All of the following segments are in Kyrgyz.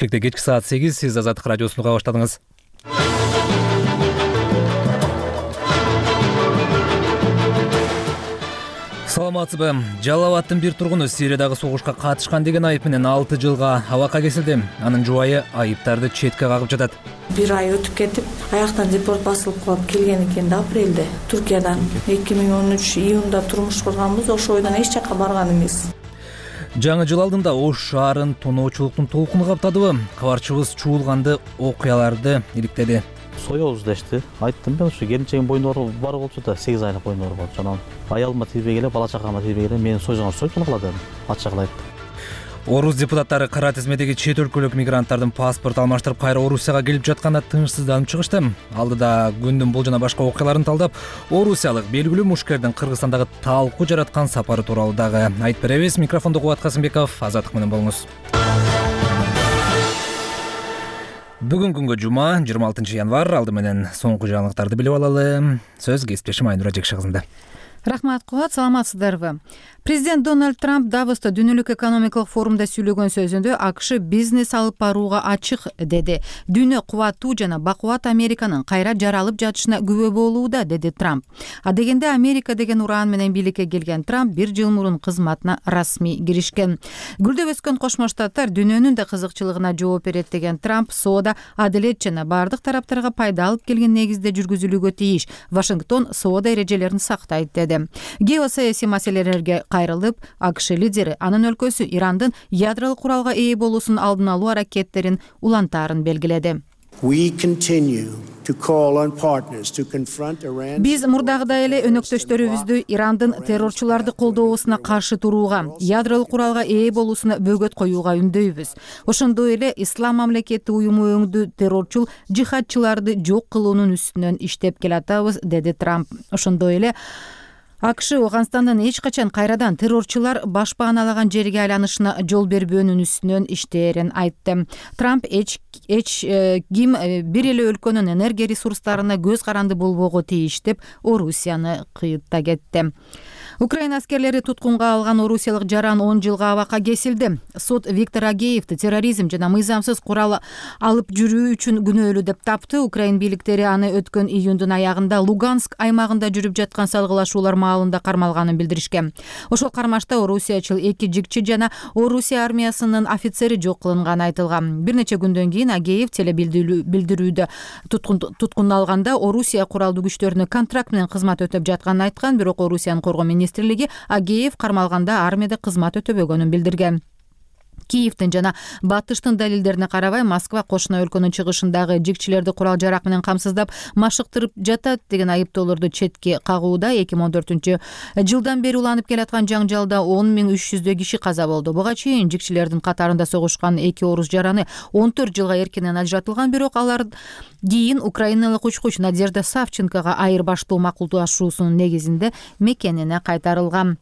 Бишкекте кечки саат 8, сиз Азаттык радиосун уга баштадыңыз. Саламатсызбы? Жалал Абадтын бир тургуну Сириядагы согушка катышкан деген айып менен 6 жылга абакка кесилди. Анын жубайы айыптарды четке кагып жатат. Бир ай өтүп кетип, аяктан депорт басылып калып келген экен да апрелде Түркиядан. 2013 июнда турмуш курганбыз, ошол бойдон эч жакка барган эмес. Жаңы жыл алдында Ош шаарын тоноочулуктун толкуну каптадыбы? Кабарчыбыз чуулганды окуяларды иликтеди. Соёбуз дешти. Айттым мен, ушу келинчегим боюнда бар болчу да 8 айлык боюнда бар болчу. Анан аялыма тийбей эле, бала чакама тийбей эле мени сойгон кылат эми. Ачыгын айтты. Орус депутаттары кара тизмедеги чет өлкөлүк мигранттардын паспорт алмаштырып кайра Орусияга келип жатканда тынчсызданып чыгышты. Алдыда күндүн бул жана башка окуяларын талдап, орусиялык белгилүү мушкердин Кыргызстандагы талкуу жараткан сапары тууралуу дагы айтып беребиз. Микрофондо Кубат Касымбеков, Азаттык менен болуңуз. Бүгүн күнгө жума, 26 январь. Алды менен соңку жаңылыктарды билип алалы. Сөз кесиптешим Айнура Жекши кызында. Рахмат, Кубат, саламатсыздарбы? Президент Дональд Трамп Давоста дүйнөлүк экономикалык форумда сүйлөгөн сөзүндө АКШ бизнес алып барууга ачык деди. Дүйнө кубаттуу жана бакубат Американын кайра жаралып жатышына күбө болууда, деди Трамп. А дегенде Америка деген уран менен бийликке келген Трамп 1 жыл мурун кызматына расмий киришкен. Гүлдөп өскөн Кошмо Штаттар дүйнөнүн да кызыкчылыгына жооп берет деген Трамп соода адилет жана бардык тараптарга пайда алып келген негизде жүргүзүлүүгө тийиш. Вашингтон соода эрежелерин сактайт деди. Геосаясий маселелерге кайрылып, АКШ лидери анын өлкөсү Ирандын ядролук куралга ээ болуусунун алдын алуу аракеттерин улантаарын белгиледи. Биз мурдагыдай эле өнөктөштөрүбүздү Ирандын террорчуларды колдоосуна каршы турууга, ядролук куралга ээ болуусуна бөгөт коюуга үндөйбүз. Ошондой эле Ислам мамлекети уюму өңдүү террорчул жихадчыларды жок кылуунун үстүнөн иштеп келатабыз, деди Трамп. Ошондой эле АКШ Афганстандын эч качан кайрадан террорчулар башпааналаган жерге айланышына жол бербөөнүн үстүнөн иштээрин айтты. Трамп эч ким бир эле өлкөнүн энергия ресурстарына көз каранды болбоого тийиш деп Орусияны кыйытта кетти. Украина аскерлери туткунга алган орусиялык жаран 10 жылга абакка кесилди. Сот Виктор Агеевди терроризм жана мыйзамсыз курал алып жүрүү үчүн күнөөлүү деп тапты. Украин бийликтери аны өткөн июндун аягында Луганск аймагында жүрүп жаткан салгылашуулар маалында кармалганын билдиришкен. Ошол кармашта орусиячыл 2 жигчи жана Орусия армиясынын офицери жок кылынганы айтылган. Бир нече күндөн кийин Агеев телебилдирүүдө туткун алганда Орусия куралдуу күчтөрүнө контракт менен кызмат өтөп жатканын айткан, бирок Орусиянын коргоо министрлиги Агеев кармалганда армияда кызмат өтөбөгөнүн билдирген. Киевдин жана Батыштын далилдерине карабай, Москва кошуна өлкөнүн чыгышындагы жигчилерди курал жарак менен камсыздап машыктырып жатат деген айыптоолорду четке кагууда. 2014 жылдан бери уланып келаткан жаңжалда 10.300 киши каза болду. Буга чейин жигчилердин катарында согушкан 2 орус жараны 14 жылга эркинен ажыратылган, бирок алар кийин украиналык учкуч Надежда Савченкога айырбаштоо макулдашуусунун негизинде мекенине кайтарылган.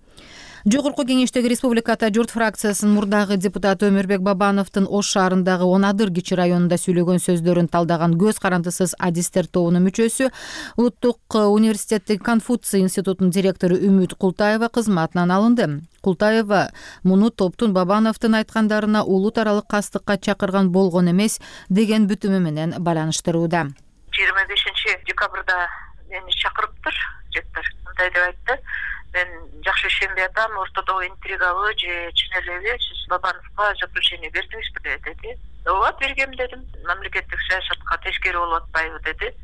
Жогорку кеңештеги Республика Ата журт фракциясынын мурдагы депутаты Өмүрбек Бабановдун Ош шаарындагы Онадыр кичи районунда сүйлөгөн сөздөрүн талдаган көз карандысыз адистер тобунун мүчөсү, Улуттук университеттин Конфуций институтунун директору Үмүт Култаева кызматынан алынды. Култаева муну топтун Бабановдун айткандарына улут аралык кастыкка чакырган болгон эмес деген бүтүмү менен байланыштырууда. 25 декабрда мени чакырыптыр, жеттер. Мындай деп айтты: мен жакшы ишенбей атам, ортодо интригабы же чын элеби сиз Бабановго заключение бердиңизби деди. Ооба, бергем дедим. Мамлекеттик саясатка тескери болуп атпайбы деди.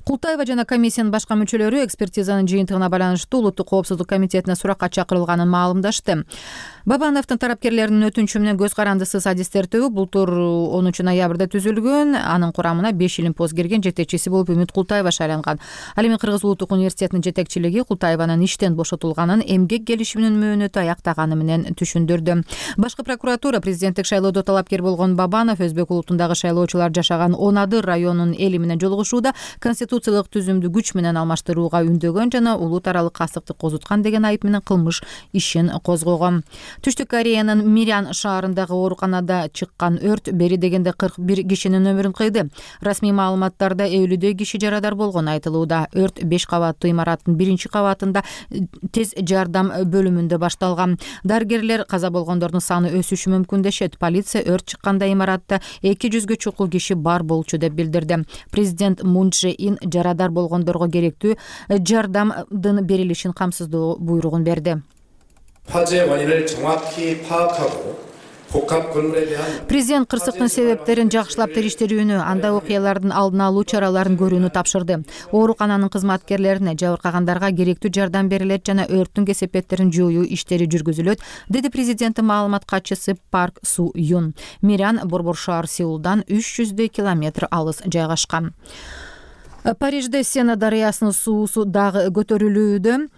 Култаева жана комиссиянын башка мүчөлөрү экспертизанын жыйынтыгына байланыштуу Улуттук коопсуздук комитетине суракка чакырылганын маалымдашты. Бабановдун тарапкерлеринин өтүнчү менен көз карандысыз адистер тобу былтыр 10 ноябрда түзүлгөн. Анын курамына 5 илимпоз кирген, жетекчиси болуп Үмүт Култаева шайланган. Ал эми Кыргыз Улуттук университетинин жетекчилиги Култаеванын иштен бошотулганын эмгек келишиминин мөөнөтү аяктаганы менен түшүндүрдү. Башкы прокуратура президенттик шайлоодо талапкер болгон Бабанов Өзбек улутундагы шайлоочулар жашаган Онадыр районунун эли менен жолугушууда Конституция конституциялык түзүмдү күч менен алмаштырууга үндөгөн жана улут аралык кастыкты козуткан деген айып менен кылмыш ишин козгогон. Түштүк Кореянын Мирян шаарындагы ооруканада чыккан өрт бери дегенде 41 кишинин өмүрүн кыйды. Расмий маалыматтарда 50 киши жарадар болгону айтылууда. Өрт 5 кабаттуу имараттын 1-кабатында тез жардам бөлүмүндө башталган. Дарыгерлер каза болгондордун саны өсүшү мүмкүн дешет. Полиция өрт чыкканда имаратта 200гө чукул киши бар болчу деп билдирди. Президент Мун Чже Ин жарадар болгондорго керектүү жардамдын берилишин камсыздоо буйругун берди. Президент кырсыктын себептерин жакшылап териштирүүнү, анда окуялардын алдын алуу чараларын көрүүнү тапшырды. Оорукананын кызматкерлерине, жабыркагандарга керектүү жардам берилет жана өрттүн кесепеттерин жоюу иштери жүргүзүлөт, деди президенттин маалымат катчысы Парк Су Юн. Мирян борбор шаар Сеулдан 300 километр алыс жайгашкан. Парижде Сена дарыясынын суусу дагы көтөрүлүүдө.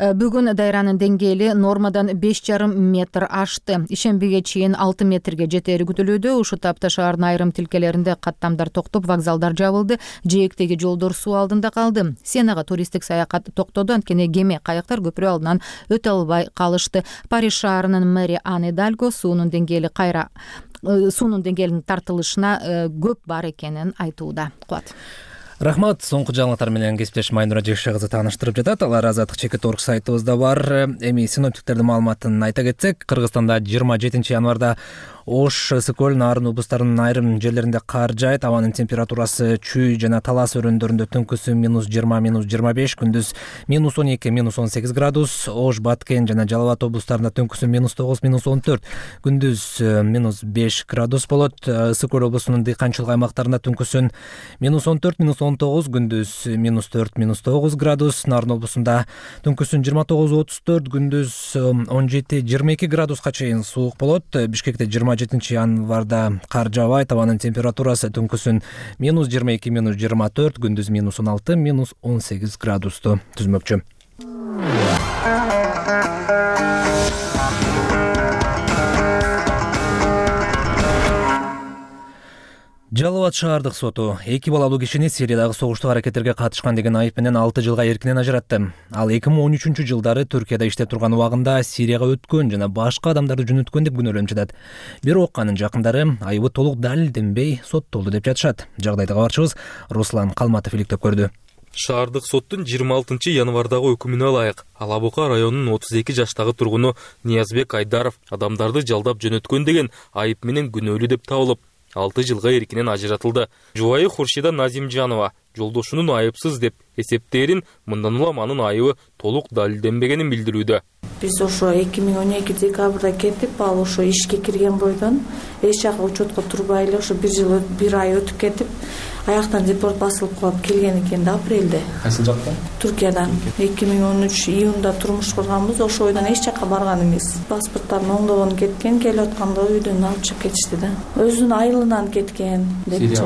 Бүгүн дайранын деңгээли нормадан 5,5 метр ашты. Ишембиге чейин 6 метрге жетери күтүлүүдө. Ушул тапта шаардын айрым тилкелеринде каттамдар токтоп, вокзалдар жабылды, жээктеги жолдор суу алдында калды. Сенага туристтик саякат токтоду, анткени кеме, кайыктар көпүрө алдынан өтө албай калышты. Париж шаарынын мэри Ан Идальго суунун деңгээлинин тартылышына көп бар экенин айтууда. Кубат. Рахмат. Соңку жаңылыктар менен кесиптеш Майнура Жекше кызы тааныштырып жатат. Алар Азаттык.org сайтыбызда бар. Эми синоптиктердин маалыматын айта кетсек, Кыргызстанда 27 январда Ош, Сыкөл, Нарын облустарынын айрым жерлеринде кар жаайт. Абанын температурасы Чүй жана Талас өрөөндөрүндө түнкүсү -20, -25, күндүз -12, -18 градус. Ош, Баткен жана Жалал Абад облустарында түнкүсү -9, -14, күндүз -5 градус болот. Сыкөл облусунун дыйканчылык аймактарында түнкүсүн -14, -19, күндүз -4, -9 градус. Нарын облусунда түнкүсүн 29-34, күндүз 17-22 градуска чейин суук болот. Бишкекте 27 январда кар жаабайт. Абанын температурасы түнкүсүн -22, -24, күндүз -16, -18 градусту түзмөкчү. Жалал Абад шаардык соту 2 балалуу кишини Сириядагы согуштук аракеттерге катышкан деген айып менен 6 жылга эркинен ажыратты. Ал 2013 жылдары Түркияда иштеп турган убагында Сирияга өткөн жана башка адамдарды жөнөткөн деп күнөөлөнүп жатат. Бирок анын жакындары айыбы толук далилденбей соттолду деп жатышат. Жагдайды кабарчыбыз Руслан Калматов иликтеп көрдү. Шаардык соттун 26 январдагы өкүмүнө ылайык Алабука районунун 32 жаштагы тургуну Ниязбек Айдаров адамдарды жалдап жөнөткөн деген айып менен күнөөлүү деп табылып, 6 жылга эркинен ажыратылды. Жубайы Хуршида Назимжанова жолдошунун айыпсыз деп эсептээрин, мындан улам анын айыбы толук далилденбегенин билдирүүдө. Биз ошо 2012 декабрда кетип, ал ошо ишке кирген бойдон эч жака учетко турбай эле ошо 1 ай өтүп кетип, аяктан депорт басылып калып келген экен да апрелде. Кайсы жактан? Туркиядан. 2013 июнда турмуш курганбыз, ошо бойдон эч жака барган эмес. Паспорттарын оңдогон кеткен, келип атканда үйдөн алып чыгып кетишти да. Өзүнүн айылынан кеткен депчи.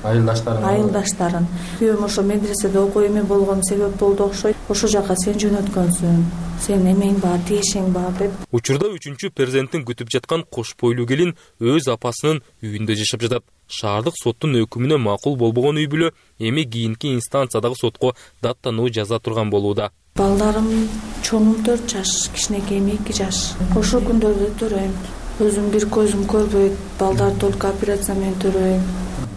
Айылдаштарын. Күйөөм ошо медреседе окуу эме болгон себеп болду окшойт. Ошо жака сен жөнөткөнсүң, сен эмең бар, тиешең бар деп. Учурда 3-чү перзентин күтүп жаткан кош бойлуу келин өз апасынын үйүндө жашап жатат. Шаардык соттун өкүмүнө макул болбогон үй бүлө эми кийинки инстанциядагы сотко даттануу жаза турган болууда. Балдарым чоңум 4 жаш, кичинекейим 2 жаш. Ошо күндөрдө төрөйм. Өзүм бир көзүм көрбөйт, балдар только операция менен төрөйм.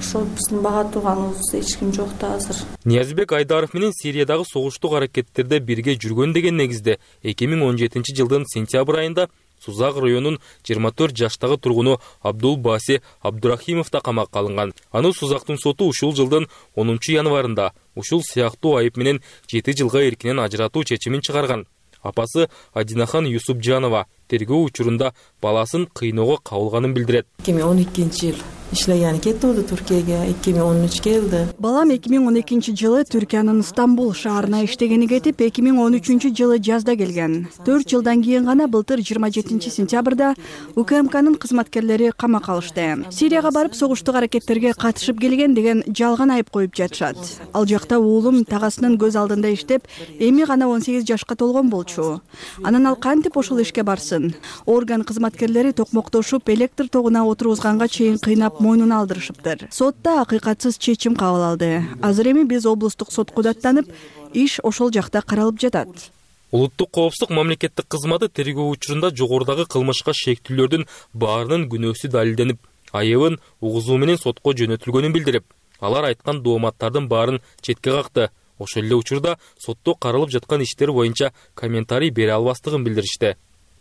Ошо биздин бага турганыбыз эч ким жок да азыр. Ниязбек Айдаров менен Сириядагы согуштук аракеттерде бирге жүргөн деген негизде 2017 жылдын сентябрь айында Сузак районунун 24 жаштагы тургуну Абдул Баси Абдурахимов да камакка алынган. Аны Сузактын соту ушул жылдын 10 январында ушул сыяктуу айып менен 7 жылга эркинен ажыратуу чечимин чыгарган. Апасы Адинахан Юсупжанова тергөө учурунда баласын кыйноого кабылганын билдирет. 2012 жыл иштеген кетти Түркияга, 2013 келди. Балам 2012 жылы Түркиянын Стамбул шаарына иштегени кетип, 2013 жылы жазда келген. 4 жылдан кийин гана былтыр 27 сентябрда УКМКнын кызматкерлери камакка алышты. Сирияга барып согуштук аракеттерге катышып келген деген жалган айып коюп жатышат. Ал жакта уулум тагасынын көз алдында иштеп, эми гана 18 жашка толгон болчу. Анан ал кантип ошол ишке барсын? Орган кызматкерлери токмоктошуп, электр тогуна отургузганга чейин кыйнап мойнуна алдырышыптыр. Сотто акыйкатсыз чечим кабыл алды. Азыр эми биз облустук сотко даттанып, иш ошол жакта каралып жатат. Улуттук коопсуздук мамлекеттик кызматы тергөө учурунда жогорудагы кылмышка шектүүлөрдүн баарынын күнөөсү далилденип, айыбын угузуу менен сотко жөнөтүлгөнүн билдирип, алар айткан дооматтардын баарын четке какты. Ошол эле учурда сотто каралып жаткан иштер боюнча комментарий бере албастыгын билдиришти.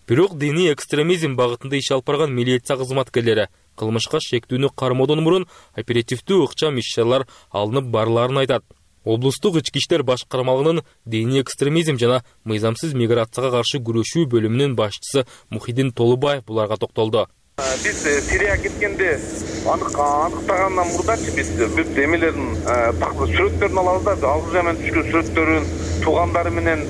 Бирок диний экстремизм багытында иш алып барган милиция кызматкерлери кылмышка шектүүнү кармоодон мурун оперативдүү ыкчам иш-чаралар алынып барларын айтат. Облустук ички иштер башкармалыгынын диний экстремизм жана мыйзамсыз миграцияга каршы күрөшүү бөлүмүнүн башчысы Мухиддин Толубаев буларга токтолду. Биз Сирияга кеткенде аныктагандан мурдачы биз бүт эмелердин сүрөттөрүн алабыз да, алгы жаман түшкөн сүрөттөрүн туугандары менен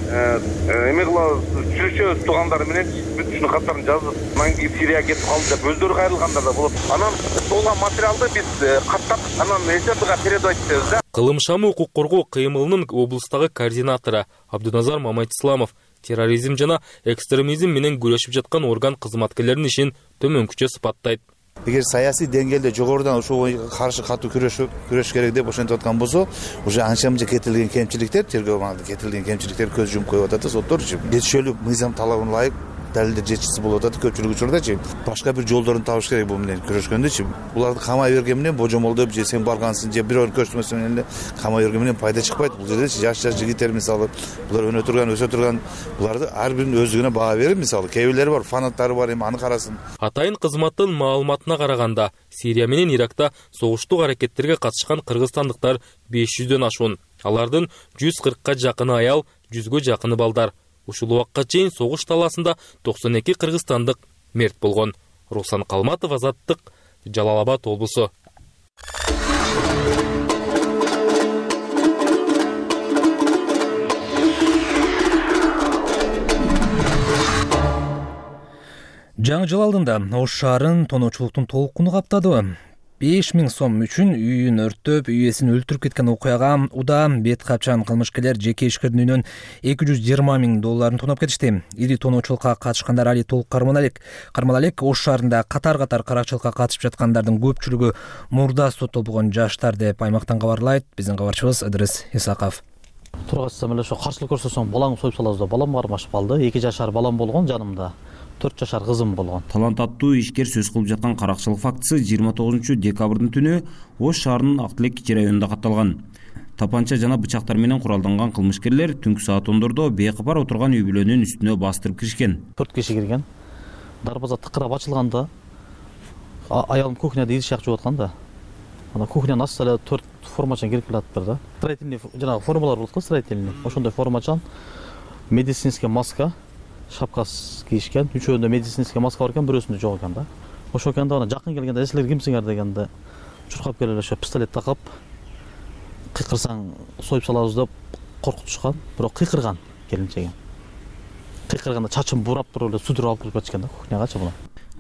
эме кылабыз, сүйлөшөбүз туугандары менен бүт ушунун каттарын жазып, анан кийин Сирияга кетип калды деп өздөрү кайрылгандар да болот. Анан сол материалды биз каттап, анан ССБга передавать этебиз да. Кылымшамы укук коргоо кыймылынын облустагы координатору Абдуназар Мамайтисламов терроризм жана экстремизм менен күрөшүп жаткан орган кызматкерлеринин ишин төмөнкүчө сыпаттайт. Эгер саясий деңгээлде жогорудан ушуга каршы катуу күрөш керек деп ошентип аткан болсо, уже анча-мынча кетирилген кемчиликтер, тергөө маалында кетирилген кемчиликтер көз жумуп коюп атат да, соттор жетишелүү мыйзам талабына ылайык далилдер жетишсиз болуп атат көпчүлүк учурдачы. Башка бир жолдорун табыш керек бул менен күрөшкөндөчү. Буларды камай берген менен божомолдоп же сен баргансың же бирөөнү көрсөтмөсүң менен эле камай берген менен пайда чыкпайт. Бул жерде жаш жигиттер мисалы, булар өнө турган, өсө турган, буларды ар биринин өздүгүнө баа берип, мисалы, кээ бирлери бар, фанаттары бар, эми аны карасын. Атайын кызматтын маалыматына караганда, Сирия менен Иракта согуштук аракеттерге катышкан кыргызстандыктар 500дөн ашуун. Алардын 140ка жакыны аял, 100гө жакыны балдар. Ушул убакка чейин согуш талаасында 92 кыргызстандык мерт болгон. Руслан Калматов, Азаттык, Жалал Абад облусу. Жаңы жыл алдында Ош шаарын тоноочулуктун толкуну каптады. 5000 сом үчүн үйүн өрттөп, үйесин өлтүрүп кеткен окуяга уда бет капчан кылмышкерлер жеке ишкердин үйүнөн $220,000 тоноп кетишти. Ири тоноочулукка катышкандар али толук кармала элек. Ош шаарында катар-катар каракчылыкка катышып жаткандардын көпчүлүгү мурда соттолбогон жаштар деп аймактан кабарлайт биздин кабарчыбыз Ыдырыс Исаков. Тургачсам эле ошо каршылык көрсөтсөң балаңды союп салабыз да, балам кармашып калды. 2 жашар балам болгон жанымда. 4 жашар кызым болгон. Талант аттуу ишкер сөз кылып жаткан каракчылык фактысы 29 декабрдын түнү Ош шаарынын Актилек районунда катталган. Тапанча жана бычактар менен куралданган кылмышкерлер түнкү саат 10дордо бейкапар отурган үй бүлөнүн үстүнө бастырып киришкен. 4 киши кирген. Дарбаза тыкырап ачылганда аялым кухняда идиш жакчып аткан да. Ана кухнянын астына 4 формачан кирип келатыптыр да. Строительный жана формалар болот го, строительный. Ошондой формачан, медицинский маска, шапкасы кийишкен, үчөөндө медицинский маска бар экен, бирөөсүндө жок экен да. Ошол экен да, ана жакын келгенде силер кимсиңер дегенде чуркап келип ошо пистолет такап кыйкырсаң союп салабыз деп коркутушкан, бирок кыйкырган келинчеги. Кыйкырганда чачын бурап туруп эле судур алып кирип кетишкен да кухнягачы буну.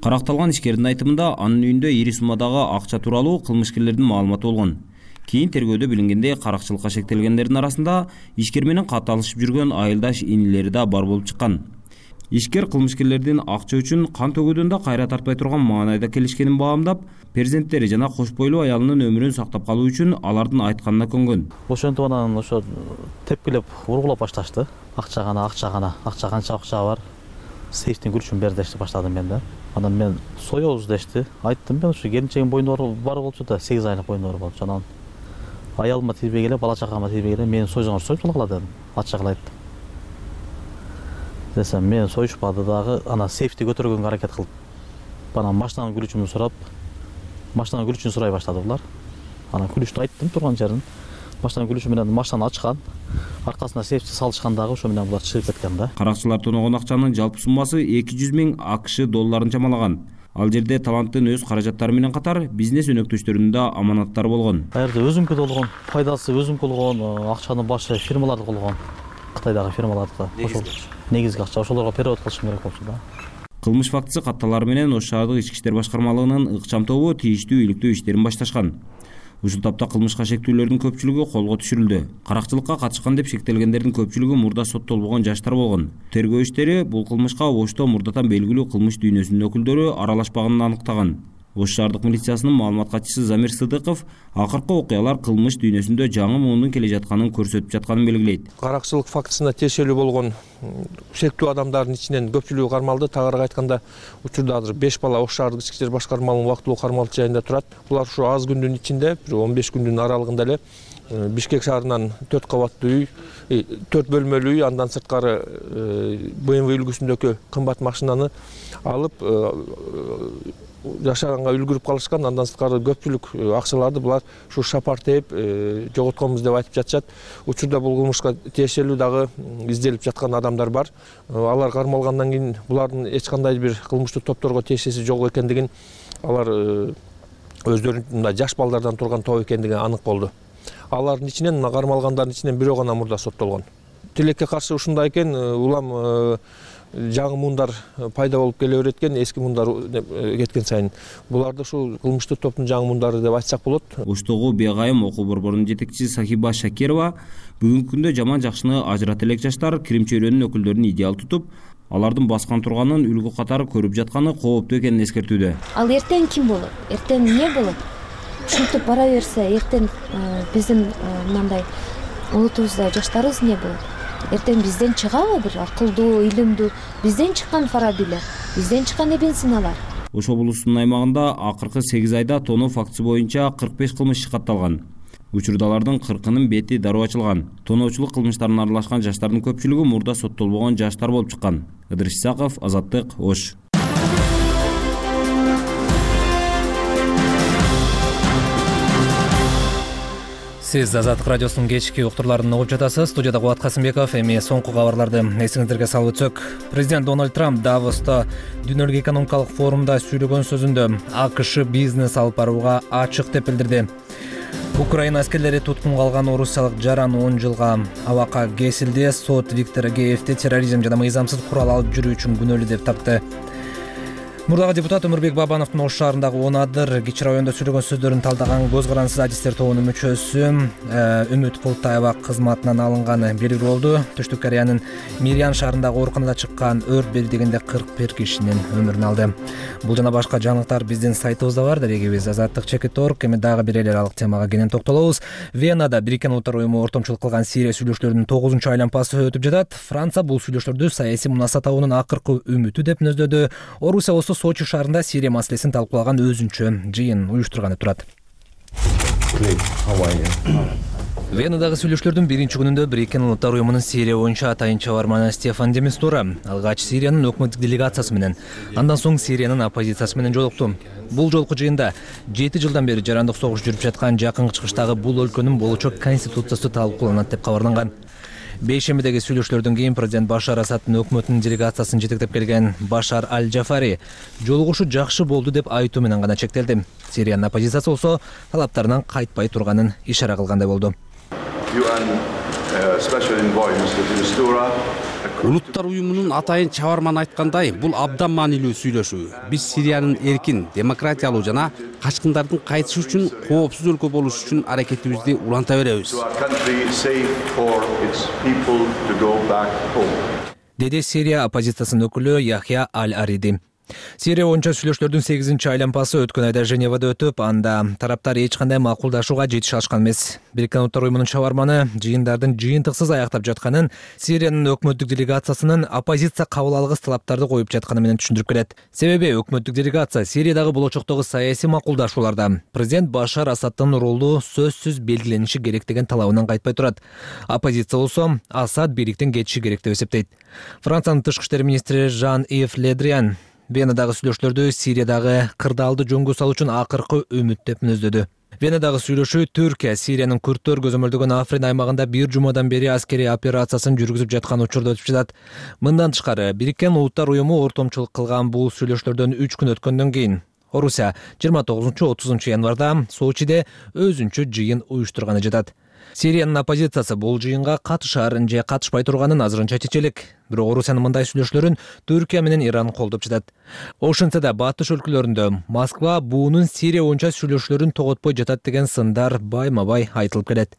Каракталган ишкердин айтымында анын үйүндө ири суммадагы акча тууралуу кылмышкерлердин маалыматы болгон. Кийин тергөөдө билингендей каракчылыкка шектелгендердин арасында ишкер менен катталышып жүргөн айылдаш инилери да бар болуп чыккан. Ишкер кылмышкерлердин акча үчүн кан төгүүдөн да кайра тартпай турган маанайда келишкенин баамдап, перзенттери жана кош бойлуу аялынын өмүрүн сактап калуу үчүн алардын айтканына көнгөн. Ошентип анан ошо тепкилеп ургулап башташты. Акча канча акча бар. Сейфтин күчүн бер дешти баштадым мен да. Анан мен соёбуз дешти. Айттым мен ушу келинчегим бойдон бар болчу да, 8 айлык бойдон болчу. Анан аялыма тийбей эле, бала чакама тийбей эле мени союзуңар союп сала дедим. Ачык эле айттым. Десем мен союшпады дагы, ана сейфти көтөргөнгө аракет кылып, анан машинанын күлүчүн сурап, машинанын күлүчүн сурай баштады булар. Анан күлүчтү айттым турган жерин. Машинанын күлүчү менен машинаны ачкан, аркасына сейфти салышкан дагы, ошо менен булар чыгып кеткен да. Каракчылар тоногон акчанын жалпы суммасы $200,000 AQSh чамалаган. Ал жерде таланттын өз каражаттары менен катар бизнес өнөктөштөрүнүн да аманаттары болгон. Ал жерде өзүмкү болгон, пайдасы өзүмкү болгон, акчанын башы фирмаларды болгон. Кытайдагы фирмалардыкы. Ошол негизги акча, ошолорго перевод кылышым керек болчу да. Кылмыш фактысы катталары менен Ош шаардык ички иштер башкармалыгынын ыкчам тобу тийиштүү иликтөө иштерин башташкан. Ушул тапта кылмышка шектүүлөрдүн көпчүлүгү колго түшүрүлдү. Каракчылыкка катышкан деп шектелгендердин көпчүлүгү мурда соттолбогон жаштар болгон. Тергөө иштери бул кылмышка Ошто мурдатан белгилүү кылмыш дүйнөсүнүн өкүлдөрү аралашпаганын аныктаган. Ош шаардык милициясынын маалымат катчысы Замир Сыдыков акыркы окуялар кылмыш дүйнөсүндө жаңы муунун келе жатканын көрсөтүп жатканын белгилейт. Каракчылык фактысына тиешелүү болгон шектүү адамдардын ичинен көпчүлүгү кармалды. Тагыраак айтканда, учурда азыр 5 бала Ош шаардык ички иштер башкармалыгынын убактылуу кармалуу жайында турат. Булар ушу аз күндүн ичинде, 15 күндүн аралыгында эле Бишкек шаарынан 4 кабаттуу үй, 4 бөлмөлүү үй, андан сырткары BMW үлгүсүндөгү кымбат машинаны алып жашаганга үлгүрүп калышкан. Андан сырткары көпчүлүк акчаларды булар ушу шапар тээп жоготконбуз деп айтып жатышат. Учурда бул кылмышка тиешелүү дагы изделип жаткан адамдар бар. Алар кармалгандан кийин булардын эч кандай бир кылмыштуу топторго тиешеси жок экендигин, алар өздөрүнүн жаш балдардан турган топ экендиги анык болду. Алардын ичинен, кармалгандардын ичинен бирөө гана мурда соттолгон. Тилекке каршы ушундай экен, улам жаңы муундар пайда болуп келе берет экен, эски муундар кеткен сайын. Буларды ушул кылмыштуу топтун жаңы муундары деп айтсак болот. Оштогу Бегайым окуу борборунун жетекчиси Сахиба Шакирова бүгүнкү күндө жаман жакшыны ажырата элек жаштар кирим чөйрөнүн өкүлдөрүн идеал тутуп, алардын баскан турганын үлгү катары көрүп жатканы кооптуу экенин эскертүүдө. Ал эртең ким болот? Эртең эмне болот? Ушинтип бара берсе, эртең биздин мындай улутубузда жаштарыбыз эмне болот? Эртең бизден чыгабы бир акылдуу, илимдүү, бизден чыккан фарабилер, бизден чыккан Ибн Синалар. Ош облусунун аймагында акыркы 8 айда тоноо фактысы боюнча 45 кылмыш катталган. Учурдалардын 40-нын бети дароо ачылган. Тоноочулук кылмыштарына аралашкан жаштардын көпчүлүгү мурда соттолбогон жаштар болуп чыккан. Ыдырыс Исаков, Азаттык, Ош. Сиз Азаттык радиосунун кечки уктурларын угуп жатасыз. Студияда Кубат Касымбеков. Эми соңку кабарларды эсиңиздерге салып өтсөк. Президент Дональд Трамп Давоста дүйнөлүк экономикалык форумда сүйлөгөн сөзүндө АКШ бизнес алып барууга ачык деп билдирди. Украина аскерлери туткунга алган орусиялык жаран 10 жылга абакка кесилди. Сот Виктор Агеевди терроризм жана мыйзамсыз курал алып жүрүү үчүн күнөөлүү деп тапты. Мурдагы депутат Өмүрбек Бабановдун Ош шаарындагы 10 адыр кичи райондо сүйлөгөн сөздөрүн талдаган көз карансыз адистер тобунун мүчөсү Үмүт Култаева кызматынан алынганы белгилүү болду. Түштүк Кореянын Мирьян шаарындагы ооруканада чыккан өрт бирдигинде 41 кишинин өмүрүн алды. Бул жана башка жаңылыктар биздин сайтыбызда бар. Дарегибиз azattik.org. Эми дагы бир эле аралык темага кенен токтолобуз. Венада Бириккен Улуттар уюму ортомчулук кылган Сирия сүйлөшүүлөрүнүн 9-айланпасы өтүп жатат. Франция бул сүйлөшүүлөрдү саясий мунаса табуунун акыркы үмүтү деп мүнөздөдү. Орусия Сочи шаарында Сирия маселесин талкуулаган өзүнчө жыйын уюштурганы турат. Венадагы сүйлөшүүлөрдүн биринчи күнүндө Бириккен Улуттар уюмунун Сирия боюнча атайын чабарманы Стефан де Мистура алгач Сириянын өкмөттүк делегациясы менен, андан соң Сириянын оппозициясы менен жолукту. Бул жолку жыйында 7 жылдан бери жарандык согуш жүрүп жаткан жакынкы чыгыштагы бул өлкөнүн болочок конституциясы талкууланат деп кабарланган. Бейшембидеги сүйлөшүүлөрдөн кийин президент Башар Асадтын өкмөтүнүн делегациясын жетектеп келген Башар Аль-Джафари жолугушуу жакшы болду деп айтуу менен гана чектелди. Сириянын оппозициясы болсо талаптарынан кайтпай турганын ишара кылгандай болду. Улуттар уюмунун атайын чабарманы айткандай, бул абдан маанилүү сүйлөшүү. Биз Сириянын эркин, демократиялуу жана качкындардын кайтышы үчүн коопсуз өлкө болуш үчүн аракетибизди уланта беребиз. Деди Сирия оппозициясынын өкүлү Яхья Аль-Ариди. Сирия боюнча сүйлөшүүлөрдүн 8-айланпасы өткөн айда Женевада өтүп, анда тараптар эч кандай макулдашууга жетише алышкан эмес. Бириккен Улуттар уюмунун чабарманы жыйындардын жыйынтыксыз аяктап жатканын, Сириянын өкмөттүк делегациясынын оппозиция кабыл алгыс талаптарды коюп жатканы менен түшүндүрүп келет. Себеби өкмөттүк делегация Сириядагы болочоктогу саясий макулдашууларда президент Башар Асадтын ролу сөзсүз белгилениши керек деген талабынан кайтпай турат. Оппозиция болсо Асад бийликтен кетиши керек деп эсептейт. Франциянын тышкы иштер министри Жан-Ив Ледриан Венадагы сүйлөшүүлөрдү Сириядагы кырдаалды жөнгө салуу үчүн акыркы үмүт деп мүнөздөдү. Венадагы сүйлөшүү Түркия Сириянын күрттөр көзөмөлдөгөн Африн аймагында 1 жумадан бери аскерий операциясын жүргүзүп жаткан учурда өтүп жатат. Мындан тышкары Бириккен Улуттар уюму ортомчулук кылган бул сүйлөшүүлөрдөн 3 күн өткөндөн кийин Орусия 29-30 январда Сочиде өзүнчө жыйын уюштурганы жатат. Сириянын оппозициясы бул жыйынга катышарын же катышпай турганын азырынча чечелик. Бирок Орусиянын мындай сүйлөшүүлөрүн Түркия менен Иран колдоп жатат. Ошентсе да батыш өлкөлөрүндө Москва буунун Сирия боюнча сүйлөшүүлөрүн тоготпой жатат деген сындар байма-бай айтылып келет.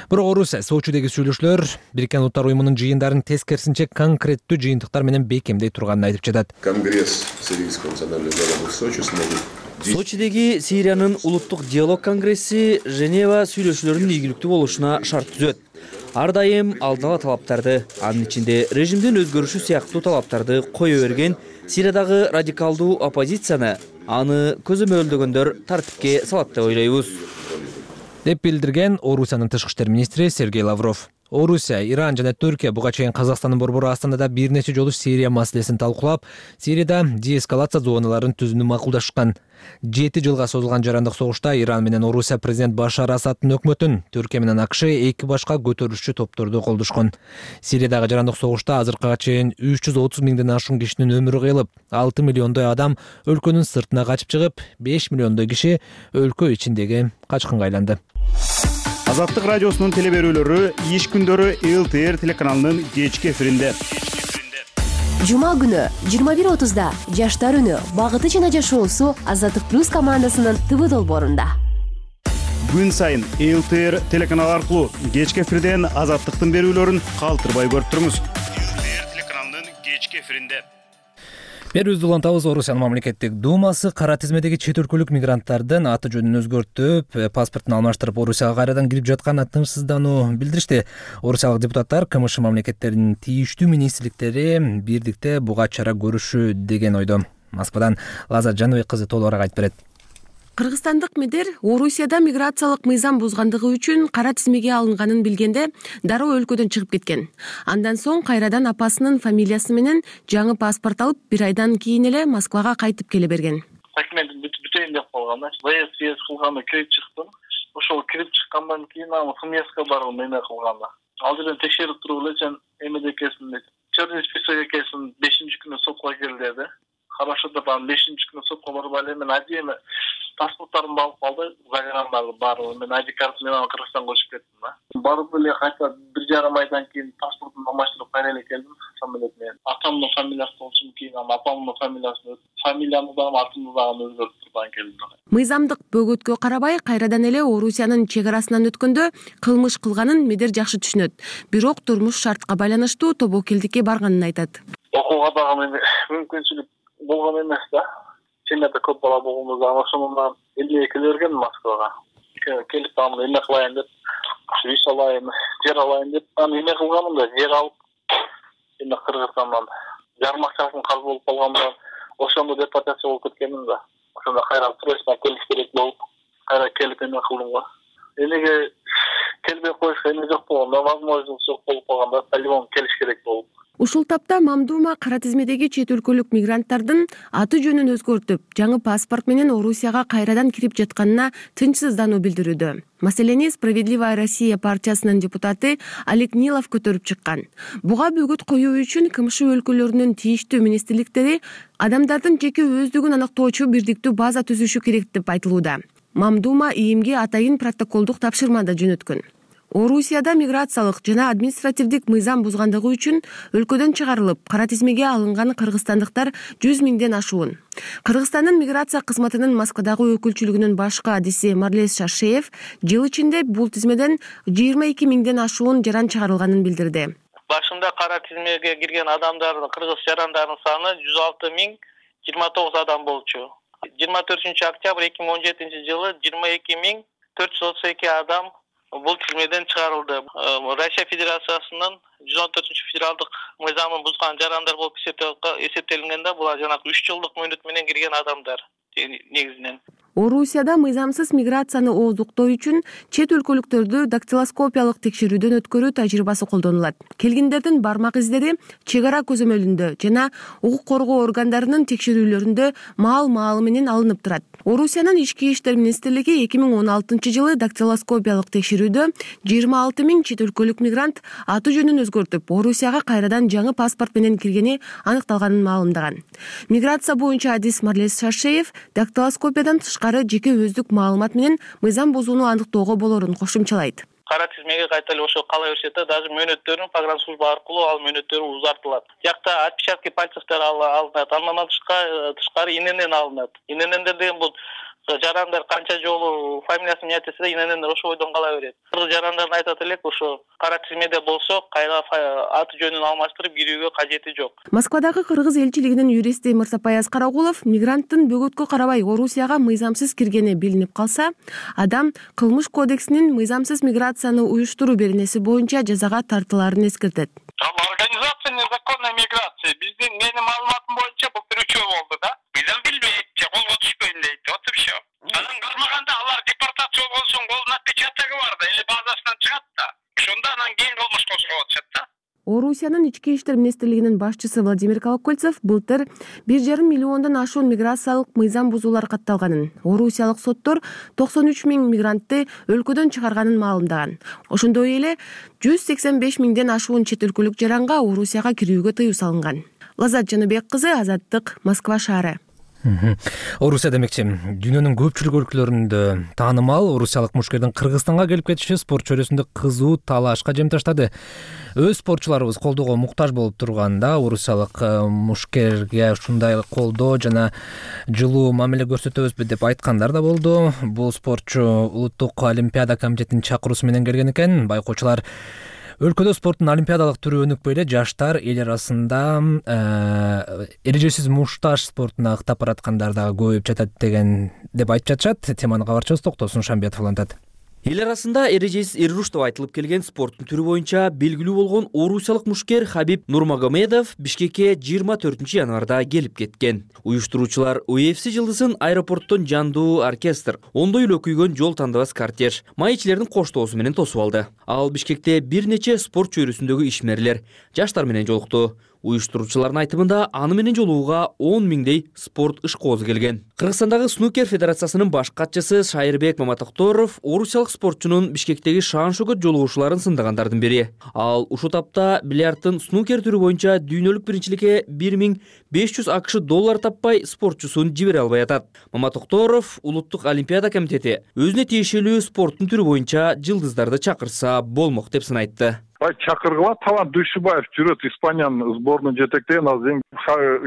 Бирок Орусия Сочидеги сүйлөшүүлөр Бириккен Улуттар Уюмунун жыйындарын тескерисинче конкреттүү жыйынтыктар менен бекемдей турганын айтып жатат. Конгресс Сирийского национального диалога в Сочи смогут Сочидеги Сириянын улуттук диалог конгресси Женева сүйлөшүүлөрүнүн ийгиликтүү болушуна шарт түзөт. Ар дайым алдын ала талаптарды, анын ичинде режимдин өзгөрүшү сыяктуу талаптарды кое берген Сириядагы радикалдуу оппозицияны аны көзөмөлдөгөндөр тартипке салат деп ойлойбуз, деп билдирген Орусиянын тышкы иштер министри Сергей Лавров. Орусия, Иран жана Түркия буга чейин Казакстандын борбору Астанада бир нече жолу Сирия маселесин талкуулап, Сирияда деэскалация зоналарын түзүүнү макулдашкан. 7 жылга созулган жарандык согушта Иран менен Орусия президент Башар Асаддын өкмөтүн, Түркия менен АКШ эки башка көтөрүлүшчү топторду колдошкон. Сириядагы жарандык согушта азыркыга чейин 330 миңден ашуун кишинин өмүрү кыйылып, 6 миллиондой адам өлкөнүн сыртына качып чыгып, 5 миллиондой киши өлкө ичиндеги качкынга айланды. Азаттык радиосунун телеберүүлөрү иш күндөрү ЛТР телеканалынын кечки эфиринде. Жума күнү 21:30да Жаштар үнү багыты жана жашоосу Азаттык плюс командасынын ТВ долбоорунда. Күн сайын ЛТР телеканалы аркылуу кечки эфирден Азаттыктын берүүлөрүн калтырбай көрүп туруңуз. ЛТР телеканалынын кечки эфиринде. Берүүбүздү улантабыз. Орусиянын мамлекеттик думасы кара тизмедеги чет өлкөлүк мигранттардын аты жөнүн өзгөртүп, паспортун алмаштырып Орусияга кайрадан кирип жатканына тынчсыздануу билдиришти. Орусиялык депутаттар КМШ мамлекеттеринин тийиштүү министрликтери бирдикте буга чара көрүшү деген ойдо. Москвадан Лаза Жановек кызы толугураак айтып берет. Кыргызстандык мидер Орусияда миграциялык мыйзам бузгандыгы үчүн кара тизмеге алынганын билгенде дароо өлкөдөн чыгып кеткен. Андан соң кайрадан апасынын фамилиясы менен жаңы паспорт алып, бир айдан кийин эле Москвага кайтып келе берген. Документин бүтөйүн деп калган, ВС кылганда кирип чыктым. Ошол кирип чыккандан кийин ФМСка барган эме кылганда. Ал жерден текшерип туруп эле сен эмеде экенсиң дейт. Черный список экенсиң, 5-күнү сотко кел деди. Хорошо деп анан 5-күнү сотко барып эле мен адеме паспорттарымды алып калды, заграндарды баары мен ID картасы менен Кыргызстанга көчүп кеттим да. Барып эле кайта 1,5 айдан кийин паспортумду алмаштырып кайра эле келдим самолет менен. Атамдын фамилиясы болчу кийин апамдын фамилиясын, фамилиямды да атымды да өзгөртүп турган келдим. Мыйзамдык бөгөткө карабай кайрадан эле Орусиянын чек арасынан өткөндө кылмыш кылганын мидер жакшы түшүнөт. Бирок турмуш шартка байланыштуу тобокелдикке барганын айтат. Окууга дагы мүмкүнчүлүк болгон эмес да. Семьяда көп бала болгондо ошондон 52 берген Москвага. Келип аны эме кылайын деп, үй салайын, жер алайын деп, аны эме кылганмын да, жер алып, эми Кыргызстандан жармакчасын калып болуп калганда, ошондо депортация болуп кеткенмин да. Ошондо кайра срочно келиш керек болуп, кайра келип эме кылдым го. Эмеге келбей коюшка эме жок болгондо, возможность жок болуп калганда, по-любому келиш керек болуп. Ушул тапта Мамдума кара тизмедеги чет өлкөлүк мигранттардын аты жөнүн өзгөртүп, жаңы паспорт менен Орусияга кайрадан кирип жатканына тынчсыздануу билдирүүдө. Маселени Справедливая Россия партиясынын депутаты Олег Нилов көтөрүп чыккан. Буга бөгөт коюу үчүн КМШ өлкөлөрүнүн тийиштүү министрликтери адамдардын жеке өздүгүн аныктоочу бирдиктүү база түзүшү керек деп айтылууда. Мамдума ИИМге атайын протоколдук тапшырма да жөнөткөн. Орусияда миграциялык жана административдик мыйзам бузгандыгы үчүн өлкөдөн чыгарылып, кара тизмеге алынган кыргызстандыктар 100 миңден ашуун. Кыргызстандын миграция кызматынын Москвадагы өкүлчүлүгүнүн башкы адиси Марлес Шаршеев жыл ичинде бул тизмеден 22 миңден ашуун жаран чыгарылганын билдирди. Башында кара тизмеге кирген адамдардын, кыргыз жарандардын саны 106 миң 29 адам болчу. 24 октябрь 2017 жылы 22 миң 432 адам бул тизмеден чыгарылды. Россия Федерациясынын 114 федералдык мыйзамын бузган жарандар болуп эсептелгенде булар жанагы 3 жылдык мөөнөт менен кирген адамдар негизинен. Орусияда мыйзамсыз миграцияны ооздуктоо үчүн чет өлкөлүктөрдү дактилоскопиялык текшерүүдөн өткөрүү тажрыйбасы колдонулат. Келгендердин бармак издери чек ара көзөмөлүндө жана укук коргоо органдарынын текшерүүлөрүндө маал менен алынып турат. Орусиянын ички иштер министрлиги 2016 жылы дактилоскопиялык текшерүүдө 26 миң чет өлкөлүк мигрант аты жөнүн өзгөртүп, Орусияга кайрадан жаңы паспорт менен киргени аныкталганын маалымдаган. Миграция боюнча адис Марлес Шаршеев дактилоскопиядан тышкары жеке өздүк маалымат менен мыйзам бузууну аныктоого болорун кошумчалайт. Кара тизмеге кайта эле ошо кала берсе да, даже мөөнөттөрүн погранслужба аркылуу ал мөөнөттөрү узартылат. Жакта отпечатки пальцевдер алынат, андан тышкары ИНН алынат. ИНН деген бул жарандар канча жолу фамилиясын айтса да иненендер ошо бойдон кала берет. Кыргыз жарандарын айтат элек, ошо кара тизмеде болсо кайра аты жөнүн алмаштырып кирүүгө кажети жок. Москвадагы кыргыз элчилигинин юристи Мырсапай Аскарагулов мигранттын бөгөткө карабай Орусияга мыйзамсыз киргени билинип калса, адам кылмыш кодексинин мыйзамсыз миграцияны уюштуруу беренеси боюнча жазага тартылаарын эскертет. Организация незаконной миграции биздин менин маалыматым боюнча бул бирүчөө болду да. Мыйзам билбейт же колго түшпөйм дейт. Вот и все. Анан кармаганда алар депортация болгон соң колдун отпечатогу бар да, или базасынан чыгат да. Ошондо анан кийин кылмыш козгоп атышат да. Орусиянын ички иштер министрлигинин башчысы Владимир Колокольцев былтыр 1,5 миллиондон ашуун миграциялык мыйзам бузуулар катталганын, орусиялык соттор 93 000 мигрантты өлкөдөн чыгарганын маалымдаган. Ошондой эле 185 000ден ашуун чет өлкөлүк жаранга Орусияга кирүүгө тыюу салынган. Лазат Жаныбек кызы, Азаттык, Москва шаары. Орусия демекчи, дүйнөнүн көпчүлүк өлкөлөрүндө таанымал орусиялык мушкердин Кыргызстанга келип кетиши спорт чөйрөсүндө кызуу талашка жем таштады. Өз спортчуларыбыз колдоого муктаж болуп турганда, орусиялык мушкерге ушундай колдоо жана жылуу мамиле көрсөтөбүзбү деп айткандар да болду. Бул спортчу Улуттук олимпиада комитетинин чакыруусу менен келген экен. Байкоочулар өлкөдө спорттун олимпиадалык түрү өнүкпөй эле жаштар эл арасында эрежесиз мушташ спортуна ыктап бараткандар дагы көбөйүп жатат деп айтып жатышат. Теманы кабарчыбыз Токтосун Шамбетов улантат. Эл арасында эрежесиз эруш деп айтылып келген спорттун түрү боюнча белгилүү болгон орусиялык мушкер Хабиб Нурмагомедов Бишкекке 24 январда келип кеткен. Уюштуруучулар UFC жылдызын аэропорттон жандуу оркестр, ондой эле күйгөн жол тандабас кортеж, маекчилердин коштоосу менен тосуп алды. Ал Бишкекте бир нече спорт чөйрөсүндөгү ишмерлер, жаштар менен жолукту. Уюштуруучулардын айтымында аны менен жолугууга 10 000дей спорт ышкоозу келген. Кыргызстандагы снукер федерациясынын баш катчысы Шайырбек Маматокторов орусиялык спортчунун Бишкектеги шаан-шөкөт жолугушууларын сындагандардын бири. Ал ушул тапта бильярдтын снукер түрү боюнча дүйнөлүк биринчиликке $1500 таппай спортчусун жибере албай атат. Маматокторов Улуттук олимпиада комитети өзүнө тиешелүү спорттун түрү боюнча жылдыздарды чакырса болмок деп сынайтты. Чакыргыла Талант Дүйшүбаев жүрөт, Испаниянын сборунун жетектеген, азыр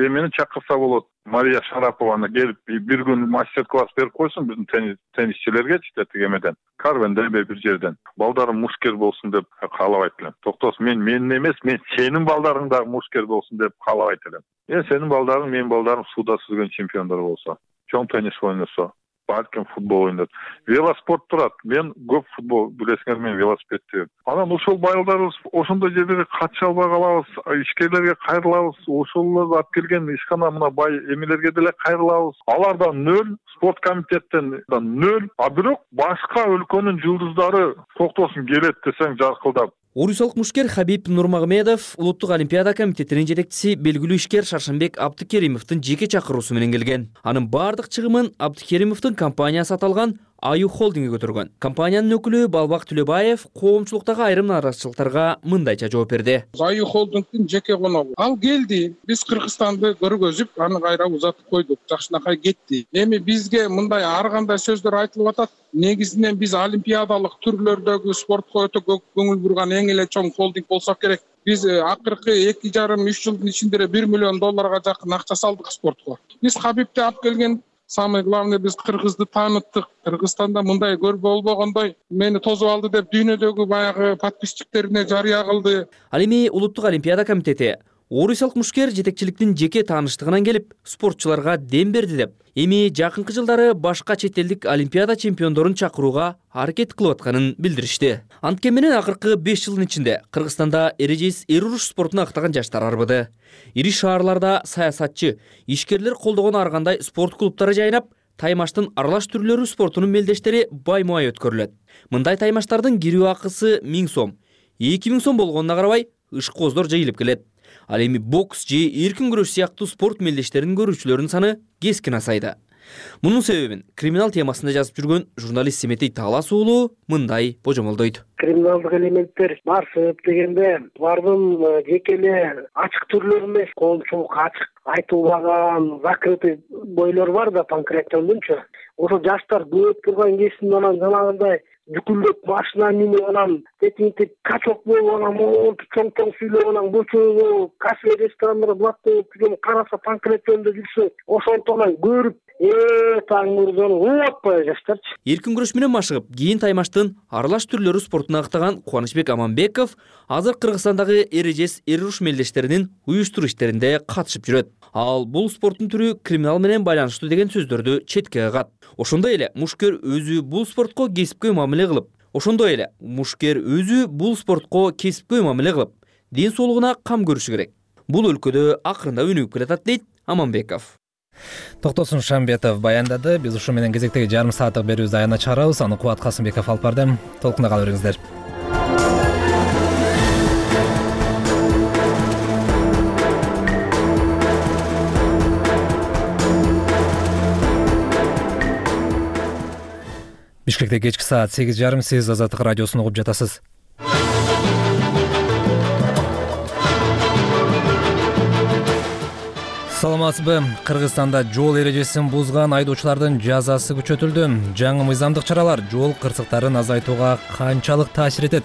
эмени чакырса болот. Мария Шарапованы келип бир күн мастер-класс берип койсун биздин теннисчилерге тегемеден. Карвенде бир жерден. Балдарым мушкер болсун деп каалабайт элем. Токтос, менин эмес, мен сенин балдарың да мушкер болсун деп каалабайт элем. Сенин балдарың, менин балдарым сууда сүзгөн чемпиондор болсо, чоң теннис ойносо, балким футбол ойнойт. Велоспорт турат. Мен көп футбол билесиңер, мен велосипедти. Анан ошол байылдарыбыз ошондой жерлерге катыша албай калабыз, ишкерлерге кайрылабыз. Ошолорду алып келген ишкана мына бай эмелерге деле кайрылабыз. Алардан 0, спорт комитеттен 0, а бирок башка өлкөнүн жылдыздары токтосун келет десең жаркылдап. Орусиялык мушкер Хабиб Нурмагомедов Улуттук олимпиада комитетинин жетекчиси белгилүү ишкер Шаршанбек Абдыкеримовдун жеке чакыруусу менен келген. Анын бардык чыгымын Абдыкеримовдун компаниясы аталган Аю холдинги көтөргөн. Компаниянын өкүлү Балбак Түлөбаев коомчулуктагы айрым наразычылыктарга мындайча жооп берди. Аю холдингдин жеке коногу. Ал келди, биз Кыргызстанды көргөзүп, аны кайра узатып койдук, жакшынакай кетти. Эми бизге мындай ар кандай сөздөр айтылып атат. Негизинен биз олимпиадалык түрлөрдөгү спортко өтө көп көңүл бурган эң эле чоң холдинг болсок керек. Биз акыркы 2,5-3 жылдын ичинде $1 миллион жакын акча салдык спортко. Биз Хабибти алып келген, самый главный биз Кыргызды таныттык. Кыргызстанда мындай көрбө болбогондой мени тосуп алды деп дүйнөдөгү баягы подписчиктерине жарыя кылды. Ал эми Улуттук олимпиада комитети орусиялык мушкер жетекчиликтин жеке тааныштыгынан келип спортчуларга дем берди деп, эми жакынкы жылдары башка чет элдик олимпиада чемпиондорун чакырууга аракет кылып атканын билдиришти. Анткени менен акыркы 5 жылдын ичинде Кыргызстанда эрежесиз эруш спортуна ыктаган жаштар арбыды. Ири шаарларда саясатчы, ишкерлер колдогон ар кандай спорт клубтары жайнап, таймаштын аралаш түрлөрү спортунун мелдештери баймай өткөрүлөт. Мындай таймаштардын кирүү акысы 1000 сом. 2000 сом болгонуна карабай ышкооздор жыйылып келет. Ал эми бокс же эркин күрөш сыяктуу спорт мелдештерин көрүүчүлөрдүн саны кескин азайды. Мунун себебин криминал темасында жазып жүргөн журналист Семетей Таалас уулу мындай божомолдойт. Криминалдык элементтер барсып дегенде булардын жеке эле ачык түрлөрү эмес, коомчулукка ачык айтылбаган закрытый бойлор бар да, панкратиондунчу. Ошо жаштар көп турган кезинде анан жанагындай жүкүлдөп машина минип анан тетинтип качок болуп анан монтип чоң сүйлөп анан көчөгө кафе ресторандар блатта караса панкратиондо жүрсө ошонтон көрүп таң мурдону уп атпай жаштарчы. Эркин күрөш менен машыгып, кийин таймаштын аралаш түрлөрү спортуна актаган Кубанычбек Аманбеков азыр Кыргызстандагы эрежес эруш мелдештеринин уюштуруу иштеринде катышып жүрөт. Ал бул спорттун түрү криминал менен байланыштуу деген сөздөрдү четке кагат. Ошондой эле мушкер өзү бул спортко кесипкөй мамиле кылып, ден соолугуна кам көрүшү керек. Бул өлкөдө акырында өнүгүп келатат дейт Аманбеков. Токтосун Шамбетов баяндады. Биз ушу менен кезектеги жарым сааттык берүүбүздү аягына чыгарабыз. Аны Кубат Касымбеков алып барды. Толкунда кала бериңиздер. Бишкекте кечки саат 8:30. Сиз Азаттык радиосун угуп жатасыз. Саламатсызбы? Кыргызстанда жол эрежесин бузган айдоочулардын жазасы күчөтүлдү. Жаңы мыйзамдык чаралар жол кырсыктарын азайтууга канчалык таасир этет?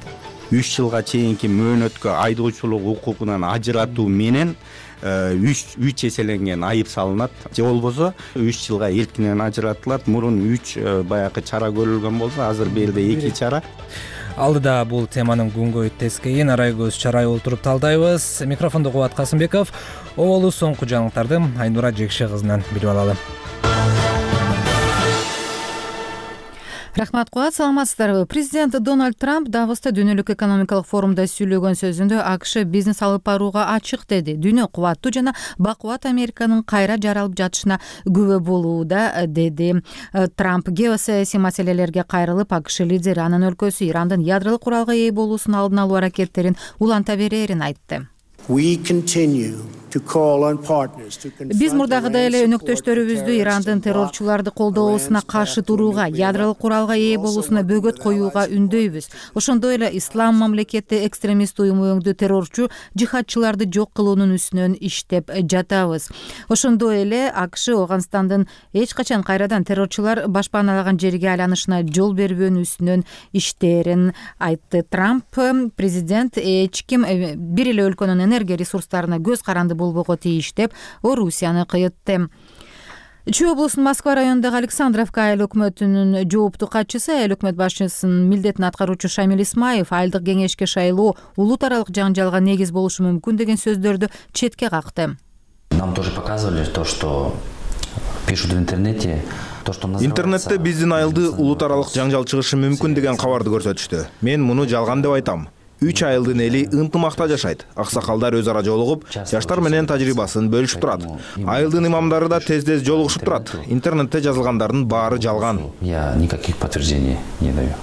3 жылга чейинки мөөнөткө айдоочулук укугунан ажыратуу менен 3 эселенген айып салынат. Же болбосо 3 жылга эркинен ажыратылат. Мурун 3 баягы чара көрүлгөн болсо, азыр берде 2 чара. Алдыда бул теманын күнгөй тескейин Арайгөз Чарай олтуруп талдайбыз. Микрофондо Кубат Касымбеков. Оболу соңку жаңылыктарды Айнура Жекше кызынан билип алалы. Рахмат, Кубат, саламатсыздарбы? Президент Дональд Трамп Давоста дүйнөлүк экономикалык форумда сүйлөгөн сөзүндө AQSh бизнес алып барууга ачык деди. Дүйнө кубаттуу жана бакубат Американын кайра жаралып жатышына күбө болууда, деди Трамп. Геосаясий маселелерге кайрылып, AQSh лидери анын өлкөсү Ирандын ядролук куралга ээ болуусун алдын алуу аракеттерин уланта берерин айтты. Биз мурдагыдай эле өнөктөштөрүбүздү Ирандын террорчуларды колдоосуна каршы турууга, ядролук куралга ээ болуусуна бөгөт коюуга үндөйбүз. Ошондой эле Ислам мамлекети экстремист уюму өңдүү террорчу жихадчыларды жок кылуунун үстүнөн иштеп жатабыз. Ошондой эле AQSh Ооганстандын эч качан кайрадан террорчулар башпааналаган жерге айланышына жол бербөөнүн үстүнөн иштерин айтты. Трамп президент эч ким бир эле өлкөнүн энергия ресурстарына көз каранды болбого тийиш деп Орусияны кыйытты. Чүй облусунун Москва районундагы Александровка айыл өкмөтүнүн жооптуу катчысы, айыл өкмөт башчысынын милдетин аткаруучу Шамил Исмаев айылдык кеңешке шайлоо улут аралык жаңжалга негиз болушу мүмкүн деген сөздөрдү четке какты. Нам тоже показывали то, что пишут в интернете. Интернетте биздин айылды улут аралык жаңжал чыгышы мүмкүн деген кабарды көрсөтүштү. Мен муну жалган деп айтам. 3 айылдын эли ынтымакта жашайт. Аксакалдар өз ара жолугуп, жаштар менен тажрыйбасын бөлүшүп турат. Айылдын имамдары да тез-тез жолугушуп турат. Интернетте жазылгандардын баары жалган. Я никаких подтверждений не даю.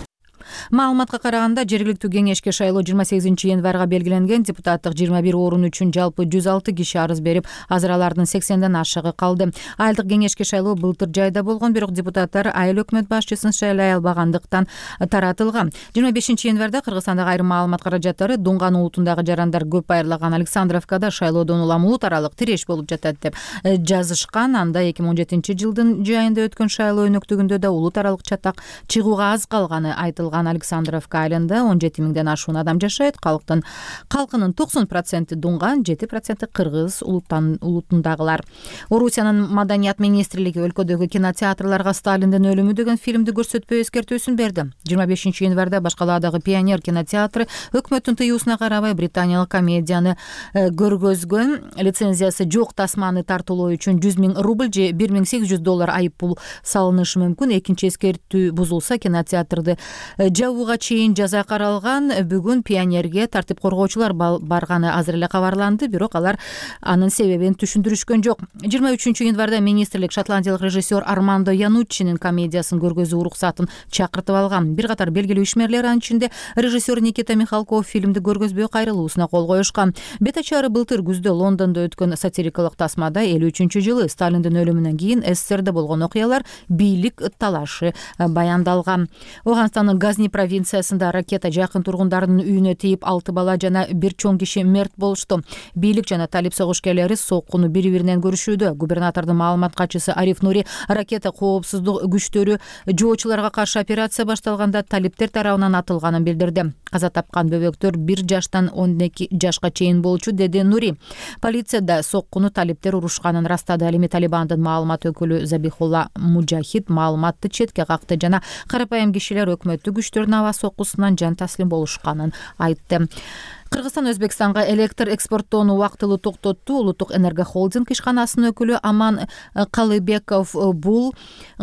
Маалыматка караганда, жергиликтүү кеңешке шайлоо 28 январга белгиленген. Депутаттык 21 орун үчүн жалпы 106 киши арыз берип, азыр алардын 80ден ашыгы калды. Айылдык кеңешке шайлоо былтыр жайда болгон, бирок депутаттар айыл өкмөт башчысын шайлай албагандыктан таратылган. 25 январда Кыргызстандагы айрым маалымат каражаттары Дунган улутундагы жарандар көп айырлаган Александровкада шайлоодон улам улут аралык тиреш болуп жатат деп жазышкан. Анда 2017-жылдын жайында өткөн шайлоо өнөктүгүндө да улут аралык чатак чыгууга аз калганы айтылган. Александровка айылында 17 миңден ашуун адам жашайт. Калкынын 90% Дунган, 7% Кыргыз улутундагылар. Орусиянын маданият министрлиги өлкөдөгү кинотеатрларга Сталиндин өлүмү деген фильмди көрсөтпөө эскертүүсүн берди. 25 январда Башкаладагы Пионер кинотеатры өкмөттүн тыюусуна карабай британиялык комедияны көргөзгөн. Лицензиясы жок тасманы тартуулоо үчүн 100 000 рубль же $1800 айып пул салынышы мүмкүн. Экинчи эскертүү бузулса, кинотеатрды жабууга чейин жаза каралган. Бүгүн Пионерге тартип коргоочулар барганы азыр эле кабарланды, бирок алар анын себебин түшүндүрүшкөн жок. 23 январда министрлик шотландиялык режиссер Армандо Януччинин комедиясын көргөзүү уруксатын чакыртып алган. Бир катар белгилүү ишмерлер, анын ичинде режиссер Никита Михалков фильмди көргөзбөй кайрылуусуна кол коюшкан. Бет ачары былтыр күздө Лондондо өткөн сатирикалык тасмада 53-жылы Сталиндин өлүмүнөн кийин СССРде болгон окуялар, бийлик талашы баяндалган. Ооганстандын Газни провинциясында ракета жакын тургундардын үйүнө тийип 6 бала жана 1 чоң киши мерт болушту. Бийлик жана талип согушкерлери соккуну бири-биринен көрүшүүдө. Губернатордун маалымат катчысы Ариф Нури ракета коопсуздук күчтөрү жоочуларга каршы операция башталганда талиптер тарабынан атылганын билдирди. Каза тапкан бөбөктөр 1 жаштан 12 жашка чейин болчу, деди Нури. Полицияда соккуну талиптер урушканын растады. Ал эми Талибандын маалымат өкүлү Забихулла Мужахид маалыматты четке какты жана карапайым кишилер өкмөттүк күчтөрдүн аба соккусунан жан таслим болушканын айтты. Кыргызстан Өзбекстанга электр экспорттоону убактылуу токтотту. Улуттук энергохолдинг ишканасынын өкүлү Аман Калыбеков бул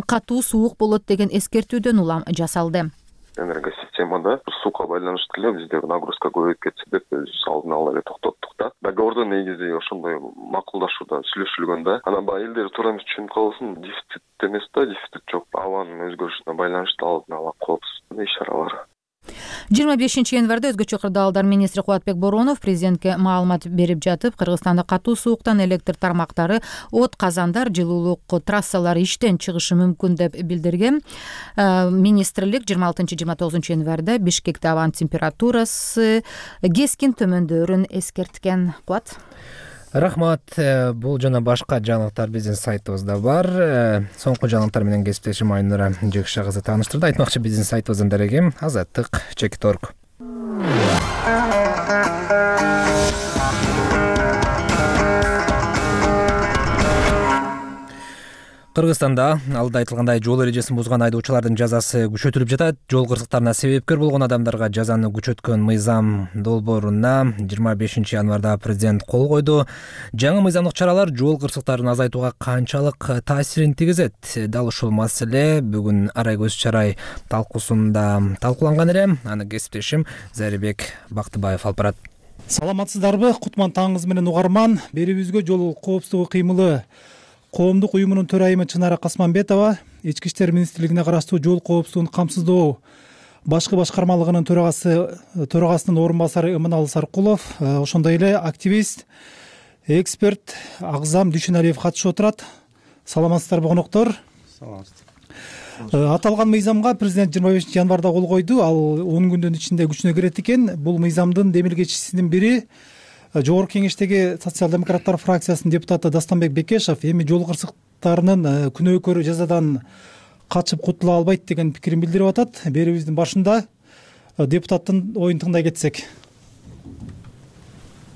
катуу суук болот деген эскертүүдөн улам жасалды. Энергосистемада сууга байланыштуу эле бизде нагрузка көбөйүп кетсе деп биз алдын ала эле токтоттук да. Договордо негизи ошондой макулдашуудан сүйлөшүлгөн да. Анан баягы элдер туура эмес түшүнүп калбасын, дефицит эмес да, дефицит жок. Абанын өзгөрүшүнө байланыштуу алдын ала коопсуз иш-чаралар. 25 январда өзгөчө кырдаалдар министри Кубатбек Боронов президентке маалымат берип жатып, Кыргызстанда катуу сууктан электр тармактары, от казандар, жылуулук трассалары иштен чыгышы мүмкүн деп билдирген. Министрлик 26-29 январда Бишкекте абанын температурасы кескин төмөндөрүн эскерткен. Кубат. Рахмат. Бул жана башка жаңылыктар биздин сайтыбызда бар. Соңку жаңылыктар менен кесиптешим Айнура Жекша кызы тааныштырды. Айтмакчы, биздин сайтыбыздын дареги Азаттык.org. Кыргызстанда алда айтылгандай жол эрежесин бузган айдоочулардын жазасы күчөтүлүп жатат. Жол кырсыктарына себепкер болгон адамдарга жазаны күчөткөн мыйзам долбооруна 25 январда президент кол койду. Жаңы мыйзамдык чаралар жол кырсыктарын азайтууга канчалык таасирин тийгизет? Дал ушул маселе бүгүн Арай көз чарай талкуусунда талкууланган эле. Аны кесиптешим Зарибек Бактыбаев алып барат. Саламатсыздарбы? Кутман таңыңыз менен угарман. Берибизге жол коопсуздугу кыймылы коомдук уюмунун төрайымы Чынара Касманбетова Ички иштер министрлигине караштуу жол коопсуздугун камсыздоо башкы башкармалыгынын төрагасынын орун басары Иманалы Саркулов, ошондой эле активист, эксперт Агзам Дүйшөналиев катышып отурат. Саламатсыздарбы коноктор? Аталган мыйзамга президент 25 январда кол койду. Ал 10 күндүн ичинде күчүнө кирет экен. Бул мыйзамдын демилгечисинин бири Жогорку кеңештеги социал-демократтар фракциясынын депутаты Дастанбек Бекешев эми жол кырсыктарынын күнөөкөр жазадан качып кутула албайт деген пикирин билдирип атат. Берүүбүздүн башында депутаттын оюн тыңдай кетсек.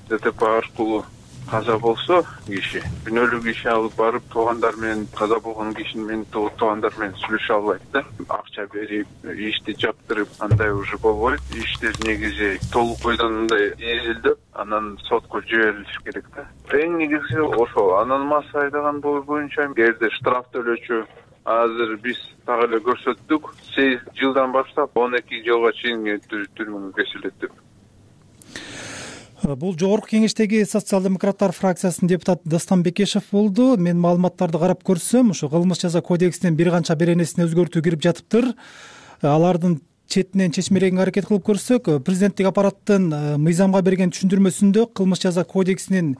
ДТП аркылуу каза болсо киши күнөөлүү иш алып барып туугандар менен каза болгон кишинин менен туугандар менен сүйлөшө албайт да. Акча берип ишти жаптырып андай уже болбойт. Иштер негизи толук бойдон эзилдеп анан сотко жиберилиш керек да. Эң негизи ошол. Анан маса айдаган боюнча эгерде штраф төлөөчү азыр биз так эле көрсөттүк. 8 жылдан баштап 12 жылга чейин түрмөгө кесилет деп. Бул Жогорку кеңештеги социал-демократтар фракциясынын депутаты Дастан Бекешев болду. Мен маалыматтарды карап көрсөм, ушу кылмыш жаза кодексинин бир канча беренесине өзгөртүү кирип жатыптыр. Алардын четинен чечмелегенге аракет кылып көрсөк, президенттик аппараттын мыйзамга берген түшүндүрмөсүндө кылмыш жаза кодексинин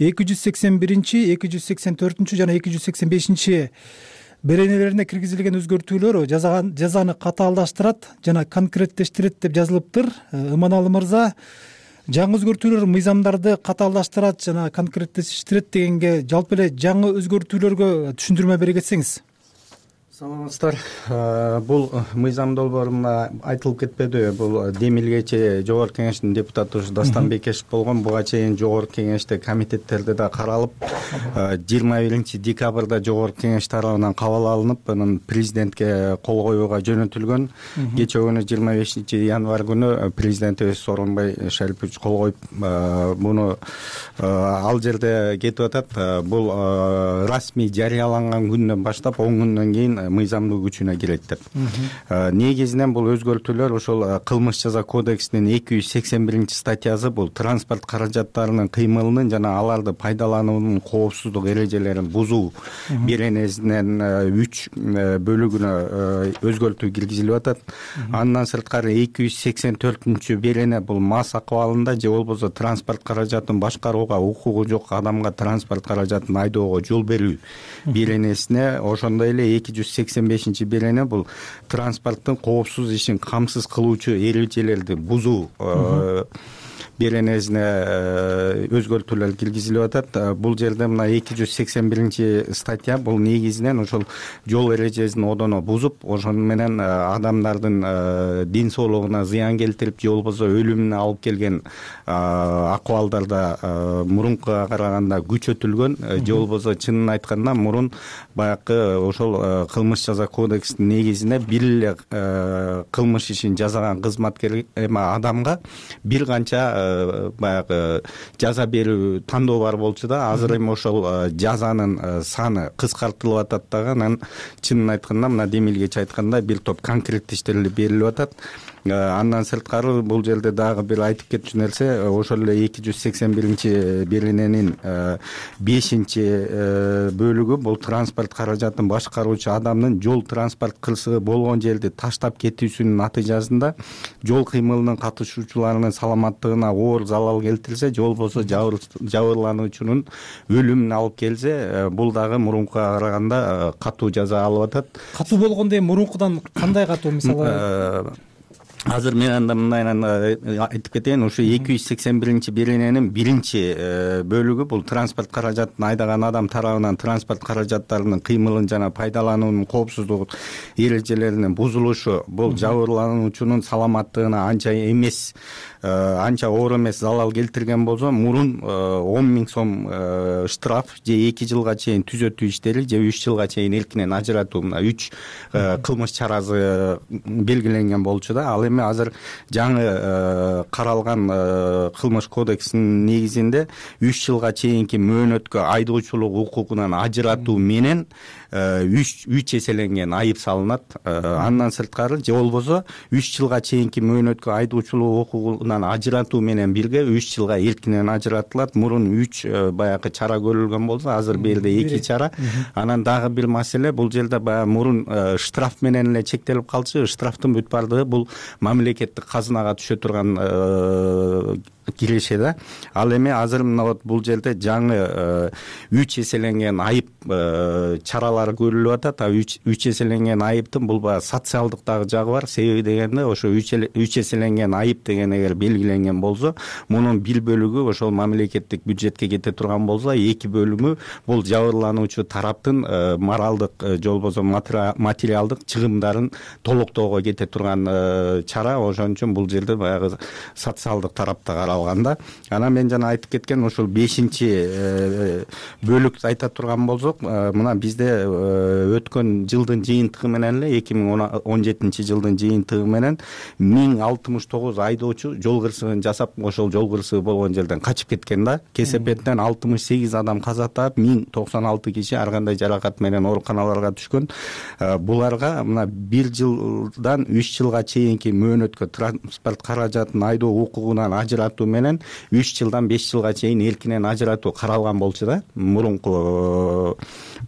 281, 284 жана 285 беренелерине киргизилген өзгөртүүлөр жазаны катаалдаштырат жана конкреттештирет деп жазылыптыр. Иманалы мырза, жаңы өзгөртүүлөр мыйзамдарды катаалдаштырат жана конкреттештирет дегенге жалпы эле жаңы өзгөртүүлөргө түшүндүрмө бере кетсеңиз. Саламатсыздар. Бул мыйзам долбоорунда айтылып кетпедиби? Бул демилгечи Жогорку кеңештин депутаты Дастан Бекешев болгон. Буга чейин Жогорку кеңеште комитеттерде да каралып, 21 декабрда Жогорку кеңеш тарабынан кабыл алынып, анан президентке кол коюуга жөнөтүлгөн. Кечээ күнү 25 январь күнү президентибиз Сооронбай Шарипович кол коюп, муну ал жерде кетип атат. Бул расмий жарыяланган күндөн баштап 10 күндөн кийин мыйзамдуу күчүнө кирет деп. Негизинен бул өзгөртүүлөр ошол кылмыш жаза кодексинин 281 статьясы, бул транспорт каражаттарынын кыймылынын жана аларды пайдалануунун коопсуздук эрежелерин бузуу беренесинен 3 бөлүгүнө өзгөртүү киргизилип атат. Андан сырткары 284 берене бул мас акыбалында же болбосо транспорт каражатын башкарууга укугу жок адамга транспорт каражатын айдоого жол берүү беренесине, ошондой эле берене бул транспорттун коопсуз ишин камсыз кылуучу эрежелерди бузуу беренесине өзгөртүүлөр киргизилип атат. Бул жерде мына 281 статья бул негизинен ошол жол эрежесин одоно бузуп, ошону менен адамдардын ден соолугуна зыян келтирип же болбосо өлүмүнө алып келген акыбалдарда мурункуга караганда күчөтүлгөн, же болбосо чынын айтканда мурун баягы ошол кылмыш жаза кодексинин негизинде бир эле кылмыш ишин жасаган кызматкер адамга бир канча баягы жаза берүү тандоо бар болчу да. Азыр эми ошол жазанын саны кыскартылып атат дагы. Анан чынын айтканда мына демилгечи айткандай бир топ конкреттештирилип берилип атат. Андан сырткары бул жерде дагы бир айтып кетчү нерсе, ошол эле 281 берененин 5-бөлүгү бул транспорт каражатын башкаруучу адамдын жол транспорт кырсыгы болгон жерди таштап кетүүсүнүн натыйжасында жол кыймылынын катышуучуларынын саламаттыгына оор залал келтирсе, же болбосо жабырлануучунун өлүмүнө алып келсе, бул дагы мурункуга караганда катуу жаза алып атат. Катуу болгондо мурункудан кандай катуу? Мисалы азыр мен анда мындайынан айтып кетейин, ошо 281 берененин 1-бөлүгү бул транспорт каражатын айдаган адам тарабынан транспорт каражаттарынын кыймылын жана пайдалануунун коопсуздук эрежелеринин бузулушу, бул жабырлануучунун саламаттыгына анча оор эмес залал келтирген болсо, мурун 10.000 сом штраф же 2 жылга чейин түзөтүү иштери же 3 жылга чейин эркинен ажыратуу, мына 3 кылмыш чарасы белгиленген болчу да. Ал эми азыр жаңы каралган кылмыш кодексинин негизинде 3 жылга чейинки мөөнөткө айдоочулук укугунан ажыратуу менен 3 эселенген айып салынат. Андан сырткары же болбосо 3 жылга чейинки мөөнөткө айдоочулук укугунан ажыратуу менен бирге 3 жылга эркинен ажыратылат. Мурун 3 баягы чара көрүлгөн болсо, азыр бул жерде 2 чара. Анан дагы бир маселе, бул жерде баягы мурун штраф менен эле чектелип калчу. Штрафтын бүт бардыгы бул мамлекеттик казынага түшө турган киреше да. Ал эми азыр мына вот бул жерде жаңы 3 эселенген айып чаралары көрүлүп атат. 3 эселенген айыптын бул баягы социалдык дагы жагы бар. Себеби дегенде ошо 3 эселенген айып деген эгер белгиленген болсо, мунун 1 бөлүгү ошол мамлекеттик бюджетке кете турган болсо, 2 бөлүгү бул жабырлануучу тараптын моралдык же болбосо материалдык чыгымдарын толуктоого кете турган чара. Ошон үчүн бул жерде баягы социалдык тарапта каралганда. Анан мен жана айтып кеткен ошол 5-бөлүктү айта турган болсок, мына бизде өткөн жылдын жыйынтыгы менен эле 2017 жылдын жыйынтыгы менен 1069 айдоочу жол кырсыгын жасап, ошол жол кырсыгы болгон жерден качып кеткен да. Кесепеттен 68 адам каза таап, 1096 киши ар кандай жаракат менен ооруканаларга түшкөн. Буларга мына 1 жылдан 3 жылга чейинки мөөнөткө транспорт каражатын айдоо укугунан ажыратуу менен 3 жылдан 5 жылга чейин эркинен ажыратуу каралган болчу да мурунку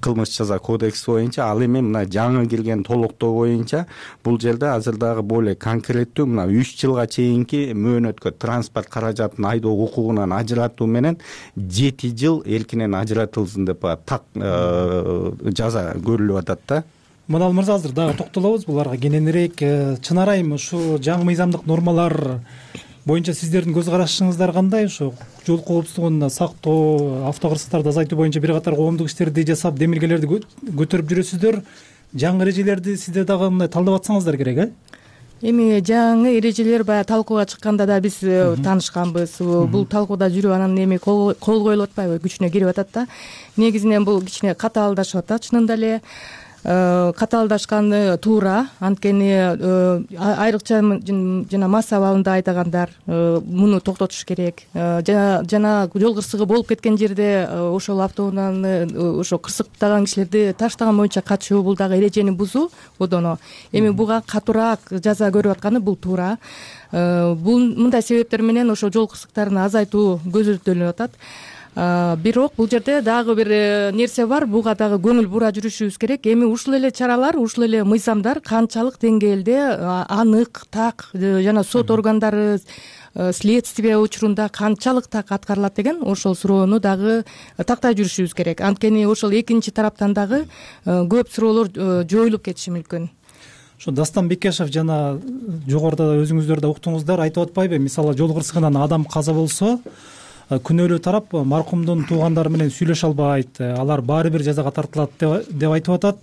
кылмыш жаза кодекси боюнча. Ал эми мына жаңы кирген толуктоо боюнча бул жерде азыр дагы более конкреттүү мына 3 жылга чейинки мөөнөткө транспорт каражатын айдоо укугунан ажыратуу менен 7 жыл эркинен ажыратылсын деп так жаза көрүлүп атат да. Манал мырза, азыр дагы токтолобуз буларга кененирээк. Чынар айым, ушу жаңы мыйзамдык нормалар боюнча сиздердин көз карашыңыздар кандай? Ушу жол коопсуздугун сактоо, автокырсыктарды азайтуу боюнча бир катар коомдук иштерди жасап, демилгелерди көтөрүп жүрөсүздөр. Жаңы эрежелерди сиздер дагы мындай талдап атсаңыздар керек, Эми жаңы эрежелер баягы талкууга чыкканда да биз таанышканбыз. Бул талкууда жүрүп анан эми кол коюлуп атпайбы, күчүнө кирип атат да. Негизинен бул кичине катаалдашып атат чынында эле. Катаалдашканы туура, анткени айрыкча жана масса абалында айдагандар муну токтотуш керек. Жана жол кырсыгы болуп кеткен жерде ошол автоунааны ошо кырсыктаган кишилерди таштаган боюнча качуу, бул дагы эрежени бузуу одоно. Эми буга катуураак жаза көрүп атканы бул туура. Бул мындай себептер менен ошо жол кырсыктарын азайтуу көзөмөлдөнүп атат. Бирок бул жерде дагы бир нерсе бар, буга дагы көңүл бура жүрүшүбүз керек. Эми ушул эле чаралар, ушул эле мыйзамдар канчалык деңгээлде анык, так жана сот органдары следствие учурунда канчалык так аткарылат деген ошол суроону дагы тактай жүрүшүбүз керек. Анткени ошол экинчи тараптан дагы көп суроолор жоюлуп кетиши мүмкүн. Ошо Дастан Бекешев жана жогоруда өзүңүздөр да уктуңуздар, айтып атпайбы, мисалы жол кырсыгынан адам каза болсо, күнөөлүү тарап маркумдун туугандары менен сүйлөшө албайт, алар баары бир жазага тартылат деп айтып атат.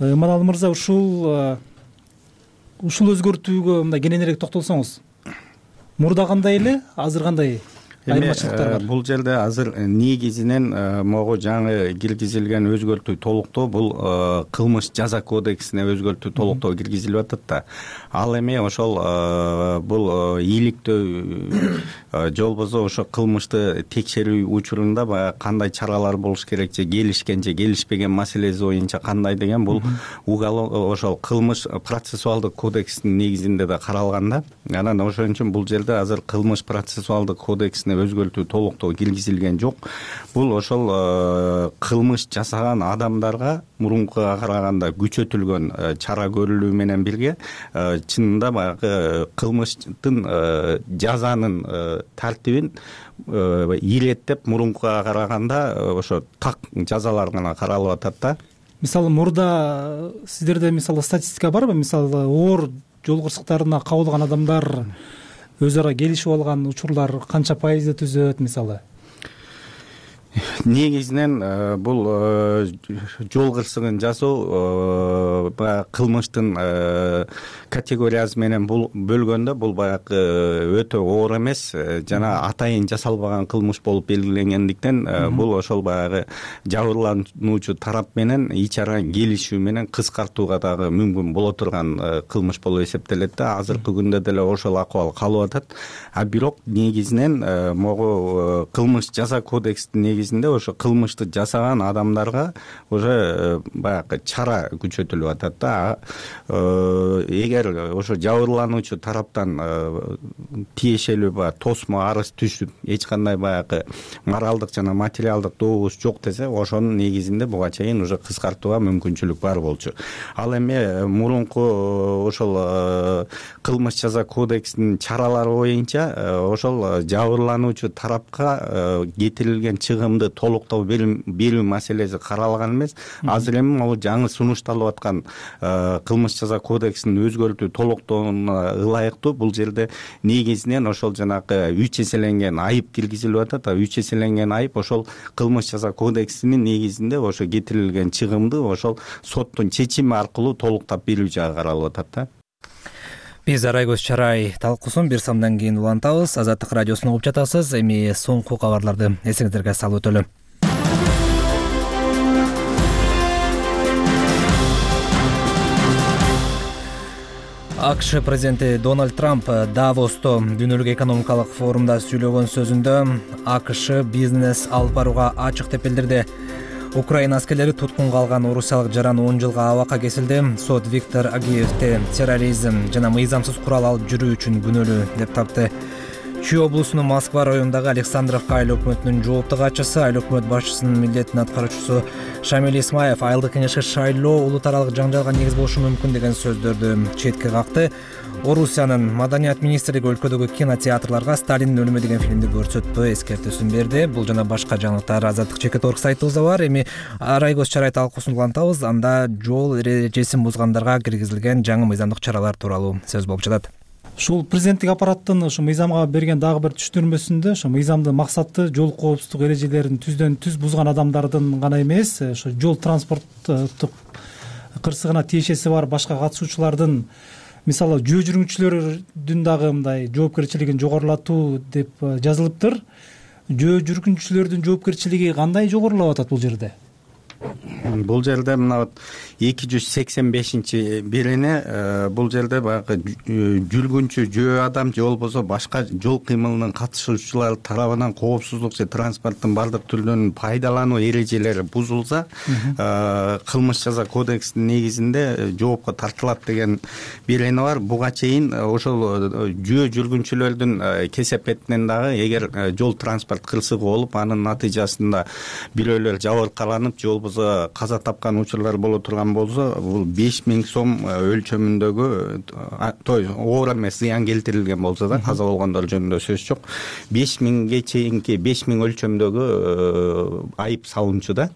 Иманалы мырза, ушул өзгөртүүгө мындай кененирээк токтолсоңуз. Мурда кандай эле, азыр кандай айырмачылыктар бар? Бул жерде азыр негизинен могу жаңы киргизилген өзгөртүү толуктоо бул кылмыш жаза кодексине өзгөртүү толуктоо киргизилип атат да. Ал эми ошол бул ийгиликтөө же болбосо ошо кылмышты текшерүү учурунда баягы кандай чаралар болуш керек, же келишкен же келишпеген маселеси боюнча кандай деген бул ошол кылмыш процессуалдык кодекстин негизинде да каралган да. Анан ошон үчүн бул жерде азыр кылмыш процессуалдык кодексине өзгөртүү толуктоо киргизилген жок. Бул ошол кылмыш жасаган адамдарга мурункуга караганда күчөтүлгөн чара көрүлүү менен бирге чынында баягы кылмыштын жазанын тартибин иреттеп мурункуга караганда ошо так жазалар гана каралып атат да. Мисалы мурда сиздерде мисалы статистика барбы? Мисалы оор жол кырсыктарына кабылган адамдар өз ара келишип алган учурлар канча пайызды түзөт мисалы? Негизинен бул жол кырсыгын жасоо баягы кылмыштын категориясы менен бөлгөндө бул баягы өтө оор эмес жана атайын жасалбаган кылмыш болуп белгиленгендиктен бул ошол баягы жабырлануучу тарап менен ич ара келишүү менен кыскартууга дагы мүмкүн боло турган кылмыш болуп эсептелет да. Азыркы күндө деле ошол акыбал калып атат. Бирок негизинен могу кылмыш жаза кодекстин негизинде ошо кылмышты жасаган адамдарга уже баягы чара күчөтүлүп атат да. Эгер ошо жабырлануучу тараптан тиешелүү баягы тосмо арыз түшүп эч кандай баягы моралдык жана материалдык добуш жок десе, ошонун негизинде буга чейин уже кыскартууга мүмкүнчүлүк бар болчу. Ал эми мурунку ошол кылмыш жаза кодексинин чаралары боюнча ошол жабырлануучу тарапка кетирилген чыгымды толуктоо берүү маселеси каралган эмес. Азыр эми могу жаңы сунушталып аткан кылмыш жаза кодексин өзгөртүү толуктооуна ылайыктуу бул жерде негизинен ошол жанагы 3 эселенген айып киргизилип атат. 3 эселенген айып ошол кылмыш жаза кодексинин негизинде ошо кетирилген чыгымды ошол соттун чечими аркылуу толуктап берүү жагы каралып атат да. Биз Арайгөз Чарай талкуусун бир самдан кийин улантабыз. Азаттык радиосун угуп жатасыз. Эми соңку кабарларды эсиңиздерге салып өтөлү. АКШ президенти Дональд Трамп Давосто дүйнөлүк экономикалык форумда сүйлөгөн сөзүндө АКШ бизнес алып барууга ачык деп билдирди. Украина аскерлери туткунга алган орусиялык жаран 10 жылга абакка кесилди. Сот Виктор Агиевди терроризм жана мыйзамсыз курал алып жүрүү үчүн күнөөлүү деп тапты. Чүй облусунун Москва районундагы Александровка айыл өкмөтүнүн жооптуу катчысы, айыл өкмөт башчысынын милдетин аткаруучусу Шамиль Исмаев айылдык кеңешке шайлоо улут аралык жаңжалга негиз болушу мүмкүн деген сөздөрдү четке какты. Орусиянын маданият министрлиги өлкөдөгү кинотеатрларга Сталиндин өлүмү деген фильмди көрсөтпөө эскертүүсүн берди. Бул жана башка жаңылыктар Азаттык ЧК.орг сайтыбызда бар. Эми Арайгөз Чарай талкуусун улантабыз. Анда жол эрежесин бузгандарга киргизилген жаңы мыйзамдык чаралар тууралуу сөз болуп жатат. Ушул президенттик аппараттын ушу мыйзамга берген дагы бир түшүндүрмөсүндө ошо мыйзамдын максаты жол коопсуздук эрежелерин түздөн түз бузган адамдардын гана эмес, ошо жол транспорттук кырсыгына тиешеси бар башка катышуучулардын, мисалы жөө жүргүнчүлөрдүн дагы мындай жоопкерчилигин жогорулатуу деп жазылыптыр. Жөө жүргүнчүлөрдүн жоопкерчилиги кандай жогорулап атат бул жерде? Бул жерде мына 285 берене, бул жерде баягы жүргүнчү жөө адам же болбосо башка жол кыймылынын катышуучулары тарабынан коопсуздук же транспорттун бардык түрлөрүнүн пайдалануу эрежелери бузулса, кылмыш жаза кодексинин негизинде жоопко тартылат деген берене бар. Буга чейин ошол жөө жүргүнчүлөрдүн кесепетинен дагы эгер жол транспорт кырсыгы болуп, анын натыйжасында бирөөлөр жабыркаланып же болбосо каза тапкан учурлар боло турган болсо, бул 5000 сом өлчөмүндөгү оор эмес зыян келтирилген болсо да, каза болгондор жөнүндө сөз жок, 5000ге чейинки 5000 өлчөмдөгү айып салынчу да.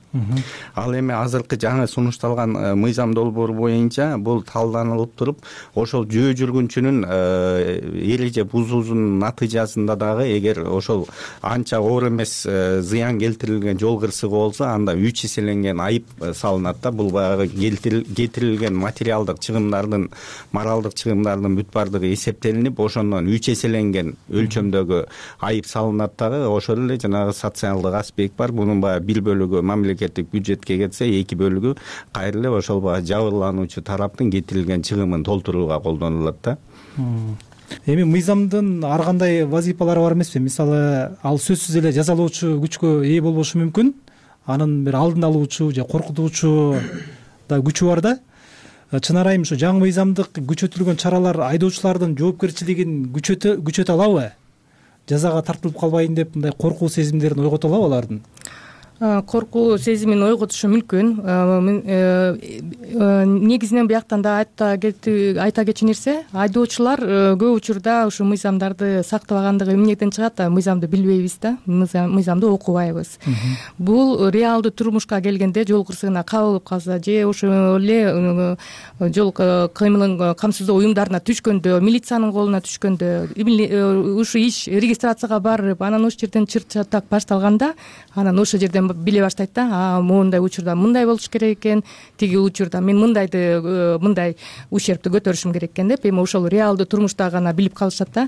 Ал эми азыркы жаңы сунушталган мыйзам долбоору боюнча бул талданылып туруп, ошол жөө жүргүнчүнүн эреже бузуусунун натыйжасында дагы эгер ошол анча оор эмес зыян келтирилген жол кырсыгы болсо, анда 3 эселенген айып салынат да. Бул баягы кетирилген материалдык чыгымдардын, моралдык чыгымдардын бүт бардыгы эсептелинип, ошондон 3 эселенген өлчөмдөгү айып салынат дагы. Ошол эле жанагы социалдык аспект бар. Бунун баягы 1 бөлүгү мамлекеттик бюджетке кетсе, 2 бөлүгү кайра эле ошол баягы жабырлануучу тараптын кетирилген чыгымын толтурууга колдонулат да. Эми мыйзамдын ар кандай вазифалары бар эмеспи? Мисалы, ал сөзсүз эле жазалоочу күчкө ээ болбошу мүмкүн. Анын бир алдын алуучу же коркутуучу да күчү бар да. Чын арайым ушу жаңы мыйзамдык күчөтүлгөн чаралар айдоочулардын жоопкерчилигин күчөтө алабы? Жазага тартылып калбайын деп мындай коркуу сезимдерин ойгото алабы алардын? Коркуу сезимин ойготушу мүмкүн. Негизинен буяктан да айта кетчү нерсе, айдоочулар көп учурда ушу мыйзамдарды сактабагандыгы эмнеден чыгат да, мыйзамды билбейбиз да, мыйзамды окубайбыз. Бул реалдуу турмушка келгенде жол кырсыгына кабылып калса же ошол эле жол кыймылын камсыздоо уюмдарына түшкөндө, милициянын колуна түшкөндө, ушу иш регистрацияга барып, анан ошол жерден чыр чатак башталганда, анан ошол жерден биле баштайт да, моундай учурда мындай болуш керек экен, тиги учурда мен мындай ущербти көтөрүшүм керек экен деп, эми ошол реалдуу турмушта гана билип калышат да.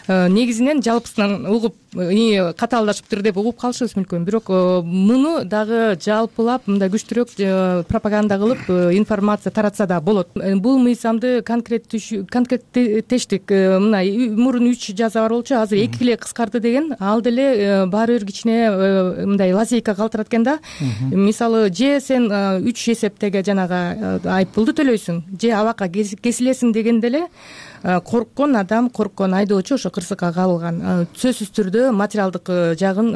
Негизинен жалпысынан угуп, катаалдашыптыр деп угуп калышыбыз мүмкүн, бирок муну дагы жалпылап мындай күчтүүрөөк пропаганда кылып информация таратса да болот. Бул мыйзамды конкреттештик, мына мурун 3 жаза бар болчу, азыр 2 эле кыскарды деген, ал деле баары бир кичине мындай лазейка калтырат экен да. Мисалы, же сен 3 эсептеге жанагы айып пулду төлөйсүң, же абакка кесилесиң дегенде эле корккон адам, корккон айдоочу ошо кырсыкка кабылган сөзсүз түрдө материалдык жагын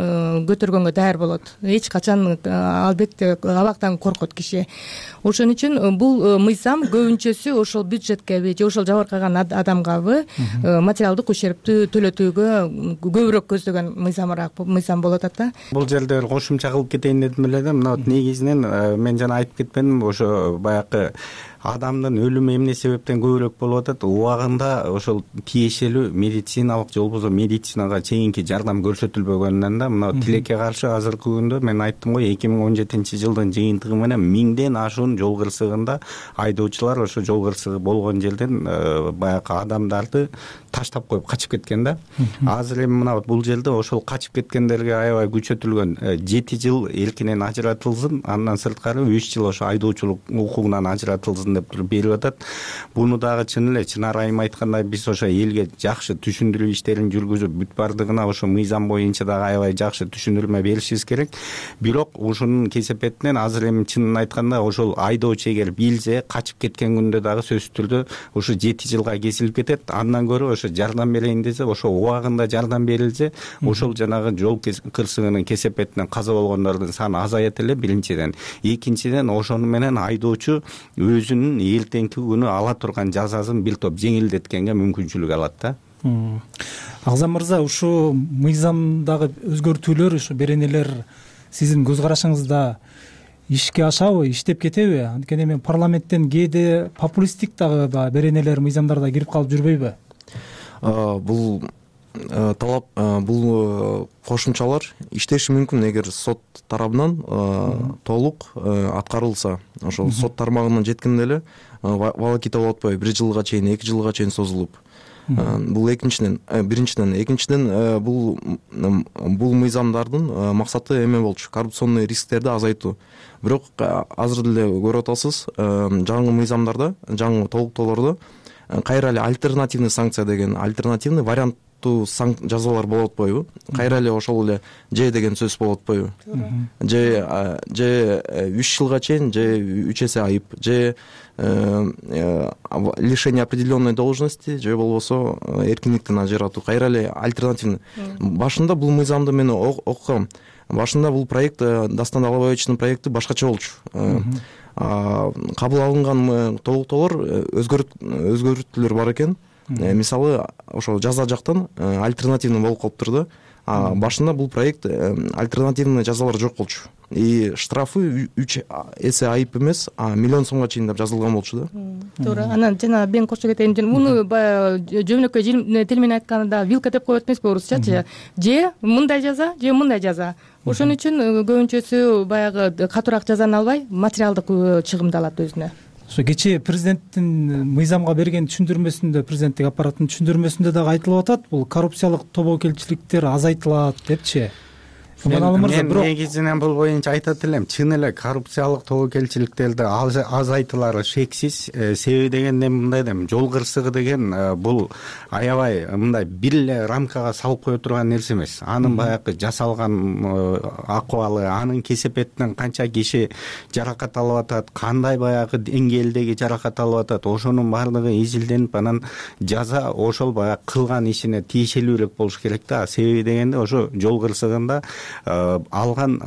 көтөргөнгө даяр болот. Эч качан албетте абактан коркот киши. Ошон үчүн бул мыйзам көбүнчөсү ошол бюджеткеби же ошол жабыркаган адамгабы материалдык ущербти төлөтүүгө көбүрөөк көздөгөн мыйзам болуп атат да. Бул жерде кошумча кылып кетейин дедим эле да. Мына негизинен мен жана айтып кетпедимби, ошо баягы адамдын өлүмү эмне себептен көбүрөөк болуп атат, убагында ошол тиешелүү медициналык же болбосо медицинага чейинки жардам көрсөтүлбөгөнүнөн да. Мына тилекке каршы азыркы күндө мен айттым го, 2017-жылдын жыйынтыгы менен 1000ден ашуун жол кырсыгында айдоочулар ошо жол кырсыгы болгон жерден баягы адамдарды таштап коюп качып кеткен да. Азыр эми мына бул жерде ошол качып кеткендерге аябай күчөтүлгөн 7 жыл эркинен ажыратылсын, андан сырткары 3 жыл ошо айдоочулук укугунан ажыратылсын деп туруп берип атат. Буну дагы чын эле чын арайым айтканда биз ошо элге жакшы түшүндүрүү иштерин жүргүзүп, бүт бардыгына ошо мыйзам боюнча дагы аябай жакшы түшүндүрмө беришибиз керек. Бирок ушунун кесепетинен азыр эми чынын айтканда ошол айдоочу эгер билсе, качып кеткен күндө дагы сөзсүз түрдө ошо 7 жылга кесилип кетет. Андан көрө ошо жардам берейин десе, ошо убагында жардам берилсе, ошол жанагы жол кырсыгынын кесепетинен каза болгондордун саны азаят эле, биринчиден. Экинчиден, ошону менен айдоочу өзүнүн эртеңки күнү ала турган жазасын бир топ жеңилдеткенге мүмкүнчүлүк алат да. Агзам мырза, ушу мыйзамдагы өзгөртүүлөр, ушу беренелер сиздин көз карашыңызда ишке ашабы, иштеп кетеби? Анткени эми парламенттен кээде популисттик дагы беренелер, мыйзамдарда кирип калып жүрбөйбү? Бул талап, бул кошумчалар иштеши мүмкүн эгер сот тарабынан толук аткарылса. Ошол сот тармагынан жеткенде эле волокита болуп атпайбы, 1 жылга чейин, 2 жылга чейин созулуп. Бул биринчиден экинчиден бул мыйзамдардын максаты эме болчу, коррупционный рисктерди азайтуу. Бирок азыр деле көрүп атасыз, жаңы мыйзамдарда, жаңы толуктоолордо кайра эле альтернативный санкция деген альтернативный варианттуу жазалар болуп атпайбы? Кайра эле ошол эле же деген сөз болуп атпайбы? Же 3 жылга чейин, же 3 эсе айып, же лишение определенной должности, же болбосо эркиндиктен ажыратуу. Кайра эле альтернативный. Башында бул мыйзамды мен окугам. Башында бул проект, Дастан Алабаевичтин проекти башкача болчу. Кабыл алынган толуктоолор өзгөртүүлөр бар экен. Мисалы ошо жаза жактан альтернативный болуп калыптыр да. Башында бул проект альтернативный жазалар жок болчу. И штрафы 3 эсе айып эмес, миллион сомго чейин деп жазылган болчу да. Туура. Анан жана мен кошо кетейин. Муну баягы жөнөкөй тил менен айтканда вилка деп коет эмеспи орусчачы? Же мындай жаза, же мындай жаза. Ошон үчүн көбүнчөсү баягы катуураак жазаны албай, материалдык чыгымды алат өзүнө. Ошо кечээ президенттин мыйзамга берген түшүндүрмөсүндө, президенттик аппараттын түшүндүрмөсүндө дагы айтылып атат, бул коррупциялык тобокелчиликтер азайтылат депчи. Мен негизинен бул боюнча айтат элем, чын эле коррупциялык тобокелчиликтерди азайтылары шексиз. Себеби дегенде мындай дейм, жол кырсыгы деген бул аябай мындай бир эле рамкага салып кое турган нерсе эмес. Анын баягы жасалган акыбалы, анын кесепетинен канча киши жаракат алып атат, кандай баягы деңгээлдеги жаракат алып атат, ошонун баардыгы изилденип, анан жаза ошол баягы кылган ишине тиешелүүрөөк болуш керек да. Себеби дегенде ошо жол кырсыгында алган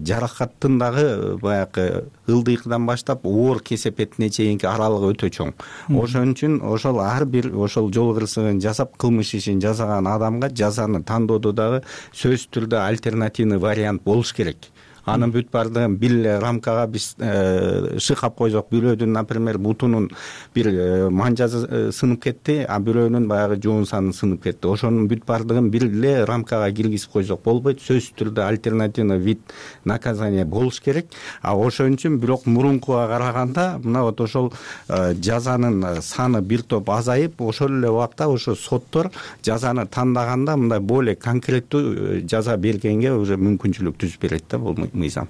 жаракаттын дагы баягы ылдыйкыдан баштап оор кесепетине чейинки аралыгы өтө чоң. Ошон үчүн ошол ар бир ошол жол кырсыгын жасап кылмыш ишин жасаган адамга жазаны тандоодо дагы сөзсүз түрдө альтернативный вариант болуш керек. Анын бүт баардыгын бир эле рамкага биз шыкап койсок, бирөөдүн, например, бутунун бир манжасы сынып кетти, а бирөөнүн баягы жоон саны сынып кетти. Ошонун бүт баардыгын бир эле рамкага киргизип койсок болбойт. Сөзсүз түрдө альтернативный вид наказания болуш керек. Ошон үчүн бирок мурункуга караганда мына вот ошол жазанын саны бир топ азайып, ошол эле убакта ошо соттор жазаны тандаганда мындай более конкреттүү жаза бергенге уже мүмкүнчүлүк түзүп берет да бул мыйзам.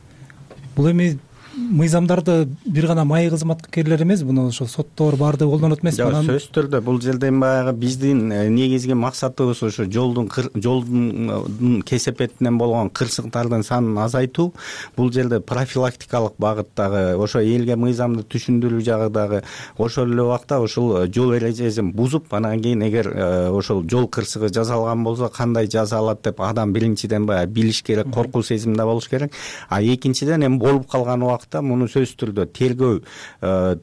Бул эми мыйзамдарды бир гана майы кызматкерлер эмес, буну ошо соттор баардыгы колдонот эмеспи? Жок, сөзсүз түрдө бул жерден баягы биздин негизги максатыбыз ошо жолдун кесепетинен болгон кырсыктардын санын азайтуу. Бул жерде профилактикалык багыттагы, ошо элге мыйзамды түшүндүрүү жагы дагы, ошол эле убакта ошол жол эрежесин бузуп, анан кийин эгер ошол жол кырсыгы жасалган болсо кандай жаза алат деп адам биринчиден баягы билиш керек, коркуу сезимде болуш керек. А экинчиден эми болуп калган убакта муну сөзсүз түрдө тергөө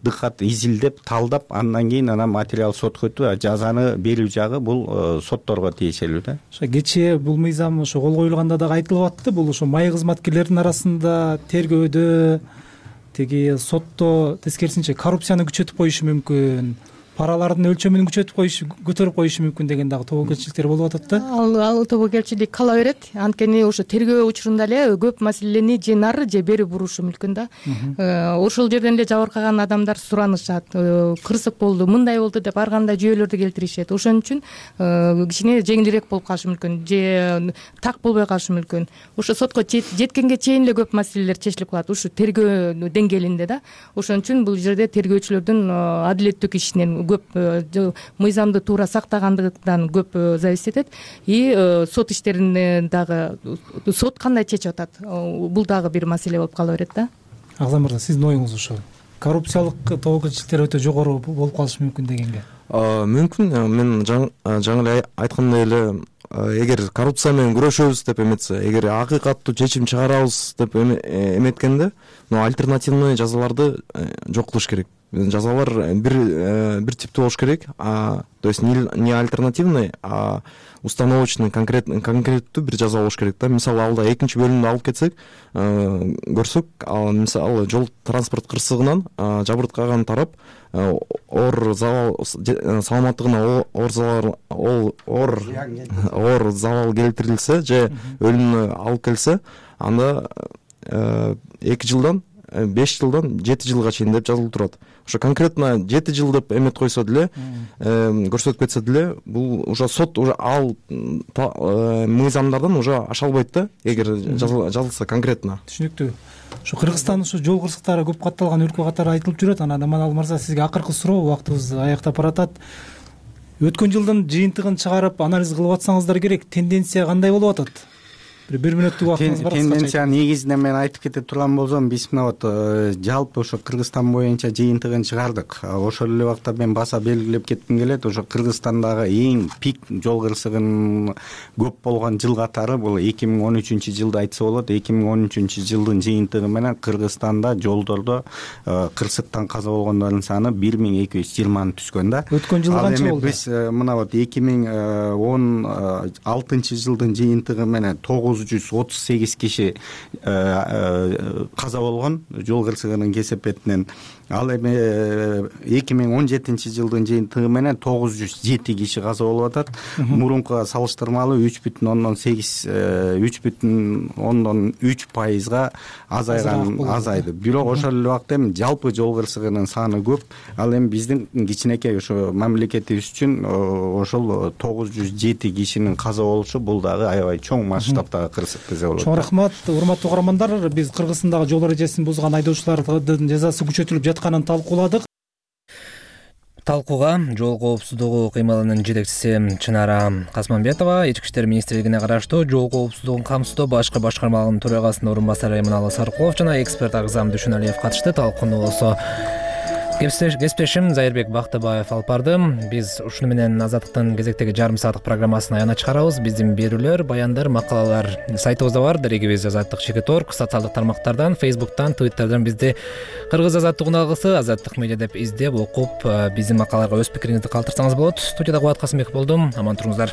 дыкат изилдеп, талдап, андан кийин анан материал сотко өтүп, жазаны берүү жагы бул сотторго тиешелүү да. Ошо кечээ бул мыйзам ошо кол коюлганда дагы айтылып атты, бул ошо майы кызматкерлердин арасында тергөөдө, тиги сотто тескерисинче коррупцияны күчөтүп коюшу мүмкүн, паралардын өлчөмүн көтөрүп коюшу мүмкүн деген дагы тобокелчиликтер болуп атат да. Ал тобокелчилик кала берет. Анткени ошо тергөө учурунда эле көп маселени же нары же бери бурушу мүмкүн да. Ошол жерден эле жабыркаган адамдар суранышат. Кырсык болду, мындай болду деп ар кандай жүйөлөрдү келтиришет. Ошон үчүн кичине жеңилирээк болуп калышы мүмкүн, же так болбой калышы мүмкүн. Ошо сотко жеткенге чейин эле көп маселелер чечилип калат, ушу тергөө деңгээлинде да. Ошон үчүн бул жерде тергөөчүлөрдүн адилеттүүлүк ишинен көп, мыйзамды туура сактагандыгынан көп зависить этет. И сот иштерин дагы сот кандай чечип атат, бул дагы бир маселе болуп кала берет да. Агзам мырза, сиздин оюңуз ошо? Коррупциялык тобокелчиликтер өтө жогору болуп калышы мүмкүн дегенге? Мүмкүн. Мен жаңы эле айткандай эле, эгер коррупция менен күрөшөбүз деп эметсе, эгер акыйкаттуу чечим чыгарабыз деп эметкенде, альтернативный жазаларды жок кылыш керек. Жазалар бир типтүү болуш керек, то есть не альтернативный, а установочный, конкреттүү бир жаза болуш керек да. Мисалы, алда экинчи бөлүмдү алып кетсек, көрсөк, мисалы жол транспорт кырсыгынан жабыркаган тарап оор саламаттыгына оор залал келтирилсе же өлүмүнө алып келсе, анда 2 жылдан 5 жылдан 7 жылга чейин деп жазылып турат. ошо конкретно 7 жыл деп эметип койсо деле, көрсөтүп кетсе деле, бул уже сот уже ал мыйзамдардан уже аша албайт да, эгер жазылса конкретно. Түшүнүктүү. Ушу Кыргызстан ушу жол кырсыктары көп катталган өлкө катары айтылып жүрөт. Анан Аманалы мырза, сизге акыркы суроо, убактыбыз аяктап баратат. Өткөн жылдын жыйынтыгын чыгарып анализ кылып атсаңыздар керек. Тенденция кандай болуп атат? Бир мүнөттүк убактыңыз бар. Тенденция негизинен мен айтып кете турган болсом, биз мына вот жалпы ошо Кыргызстан боюнча жыйынтыгын чыгардык. Ошол эле убакта мен баса белгилеп кетким келет, ошо Кыргызстандагы эң пик жол кырсыгынын көп болгон жыл катары бул 2013-жылды айтса болот. 2013-жылдын жыйынтыгы менен Кыргызстанда жолдордо кырсыктан каза болгондордун саны 1220 түскөн да. Өткөн жылы канча болду? Биз мына вот 2016-жылдын жыйынтыгы менен 938 киши каза болгон жол кырсыгынын кесепетинен. Ал эми 2017-жылдын жыйынтыгы менен 907 киши каза болуп атат. Мурункуга салыштырмалуу 3,3% азайды. Бирок ошол эле убакта эми жалпы жол кырсыгынын саны көп. Ал эми биздин кичинекей ошо мамлекетибиз үчүн ошол 907 кишинин каза болушу бул дагы аябай чоң масштабтагы кырсык десе болот. Чоң рахмат, урматтуу угармандар. Биз Кыргызстандагы жол эрежесин бузган айдоочулардын жазасы күчөтүлүп жатканын талкууладык. Талкууга жол коопсуздугу кыймылынын жетекчиси Чынара Касманбетова, Ички иштер министрлигине караштуу жол коопсуздугун камсыздоо башкы башкармалыгынын төрагасынын орун басары Эминалы Саркулов жана эксперт Агзам Дүйшөналиев катышты. Талкууну болсо кесиптешим Зайырбек Бактыбаев алып барды. Биз ушуну менен Азаттыктын кезектеги жарым сааттык программасын аягына чыгарабыз. Биздин берүүлөр, баяндар, макалалар сайтыбызда бар. Дарегибиз Азаттык.org, социалдык тармактардан, Facebook'tan, Twitter'дан бизди Кыргыз Азаттык уналгысы, Азаттык медиа деп издеп, окуп, биздин макалаларга өз пикириңизди калтырсаңыз болот. Студияда Кубат Касымбек болдум. Аман туруңуздар.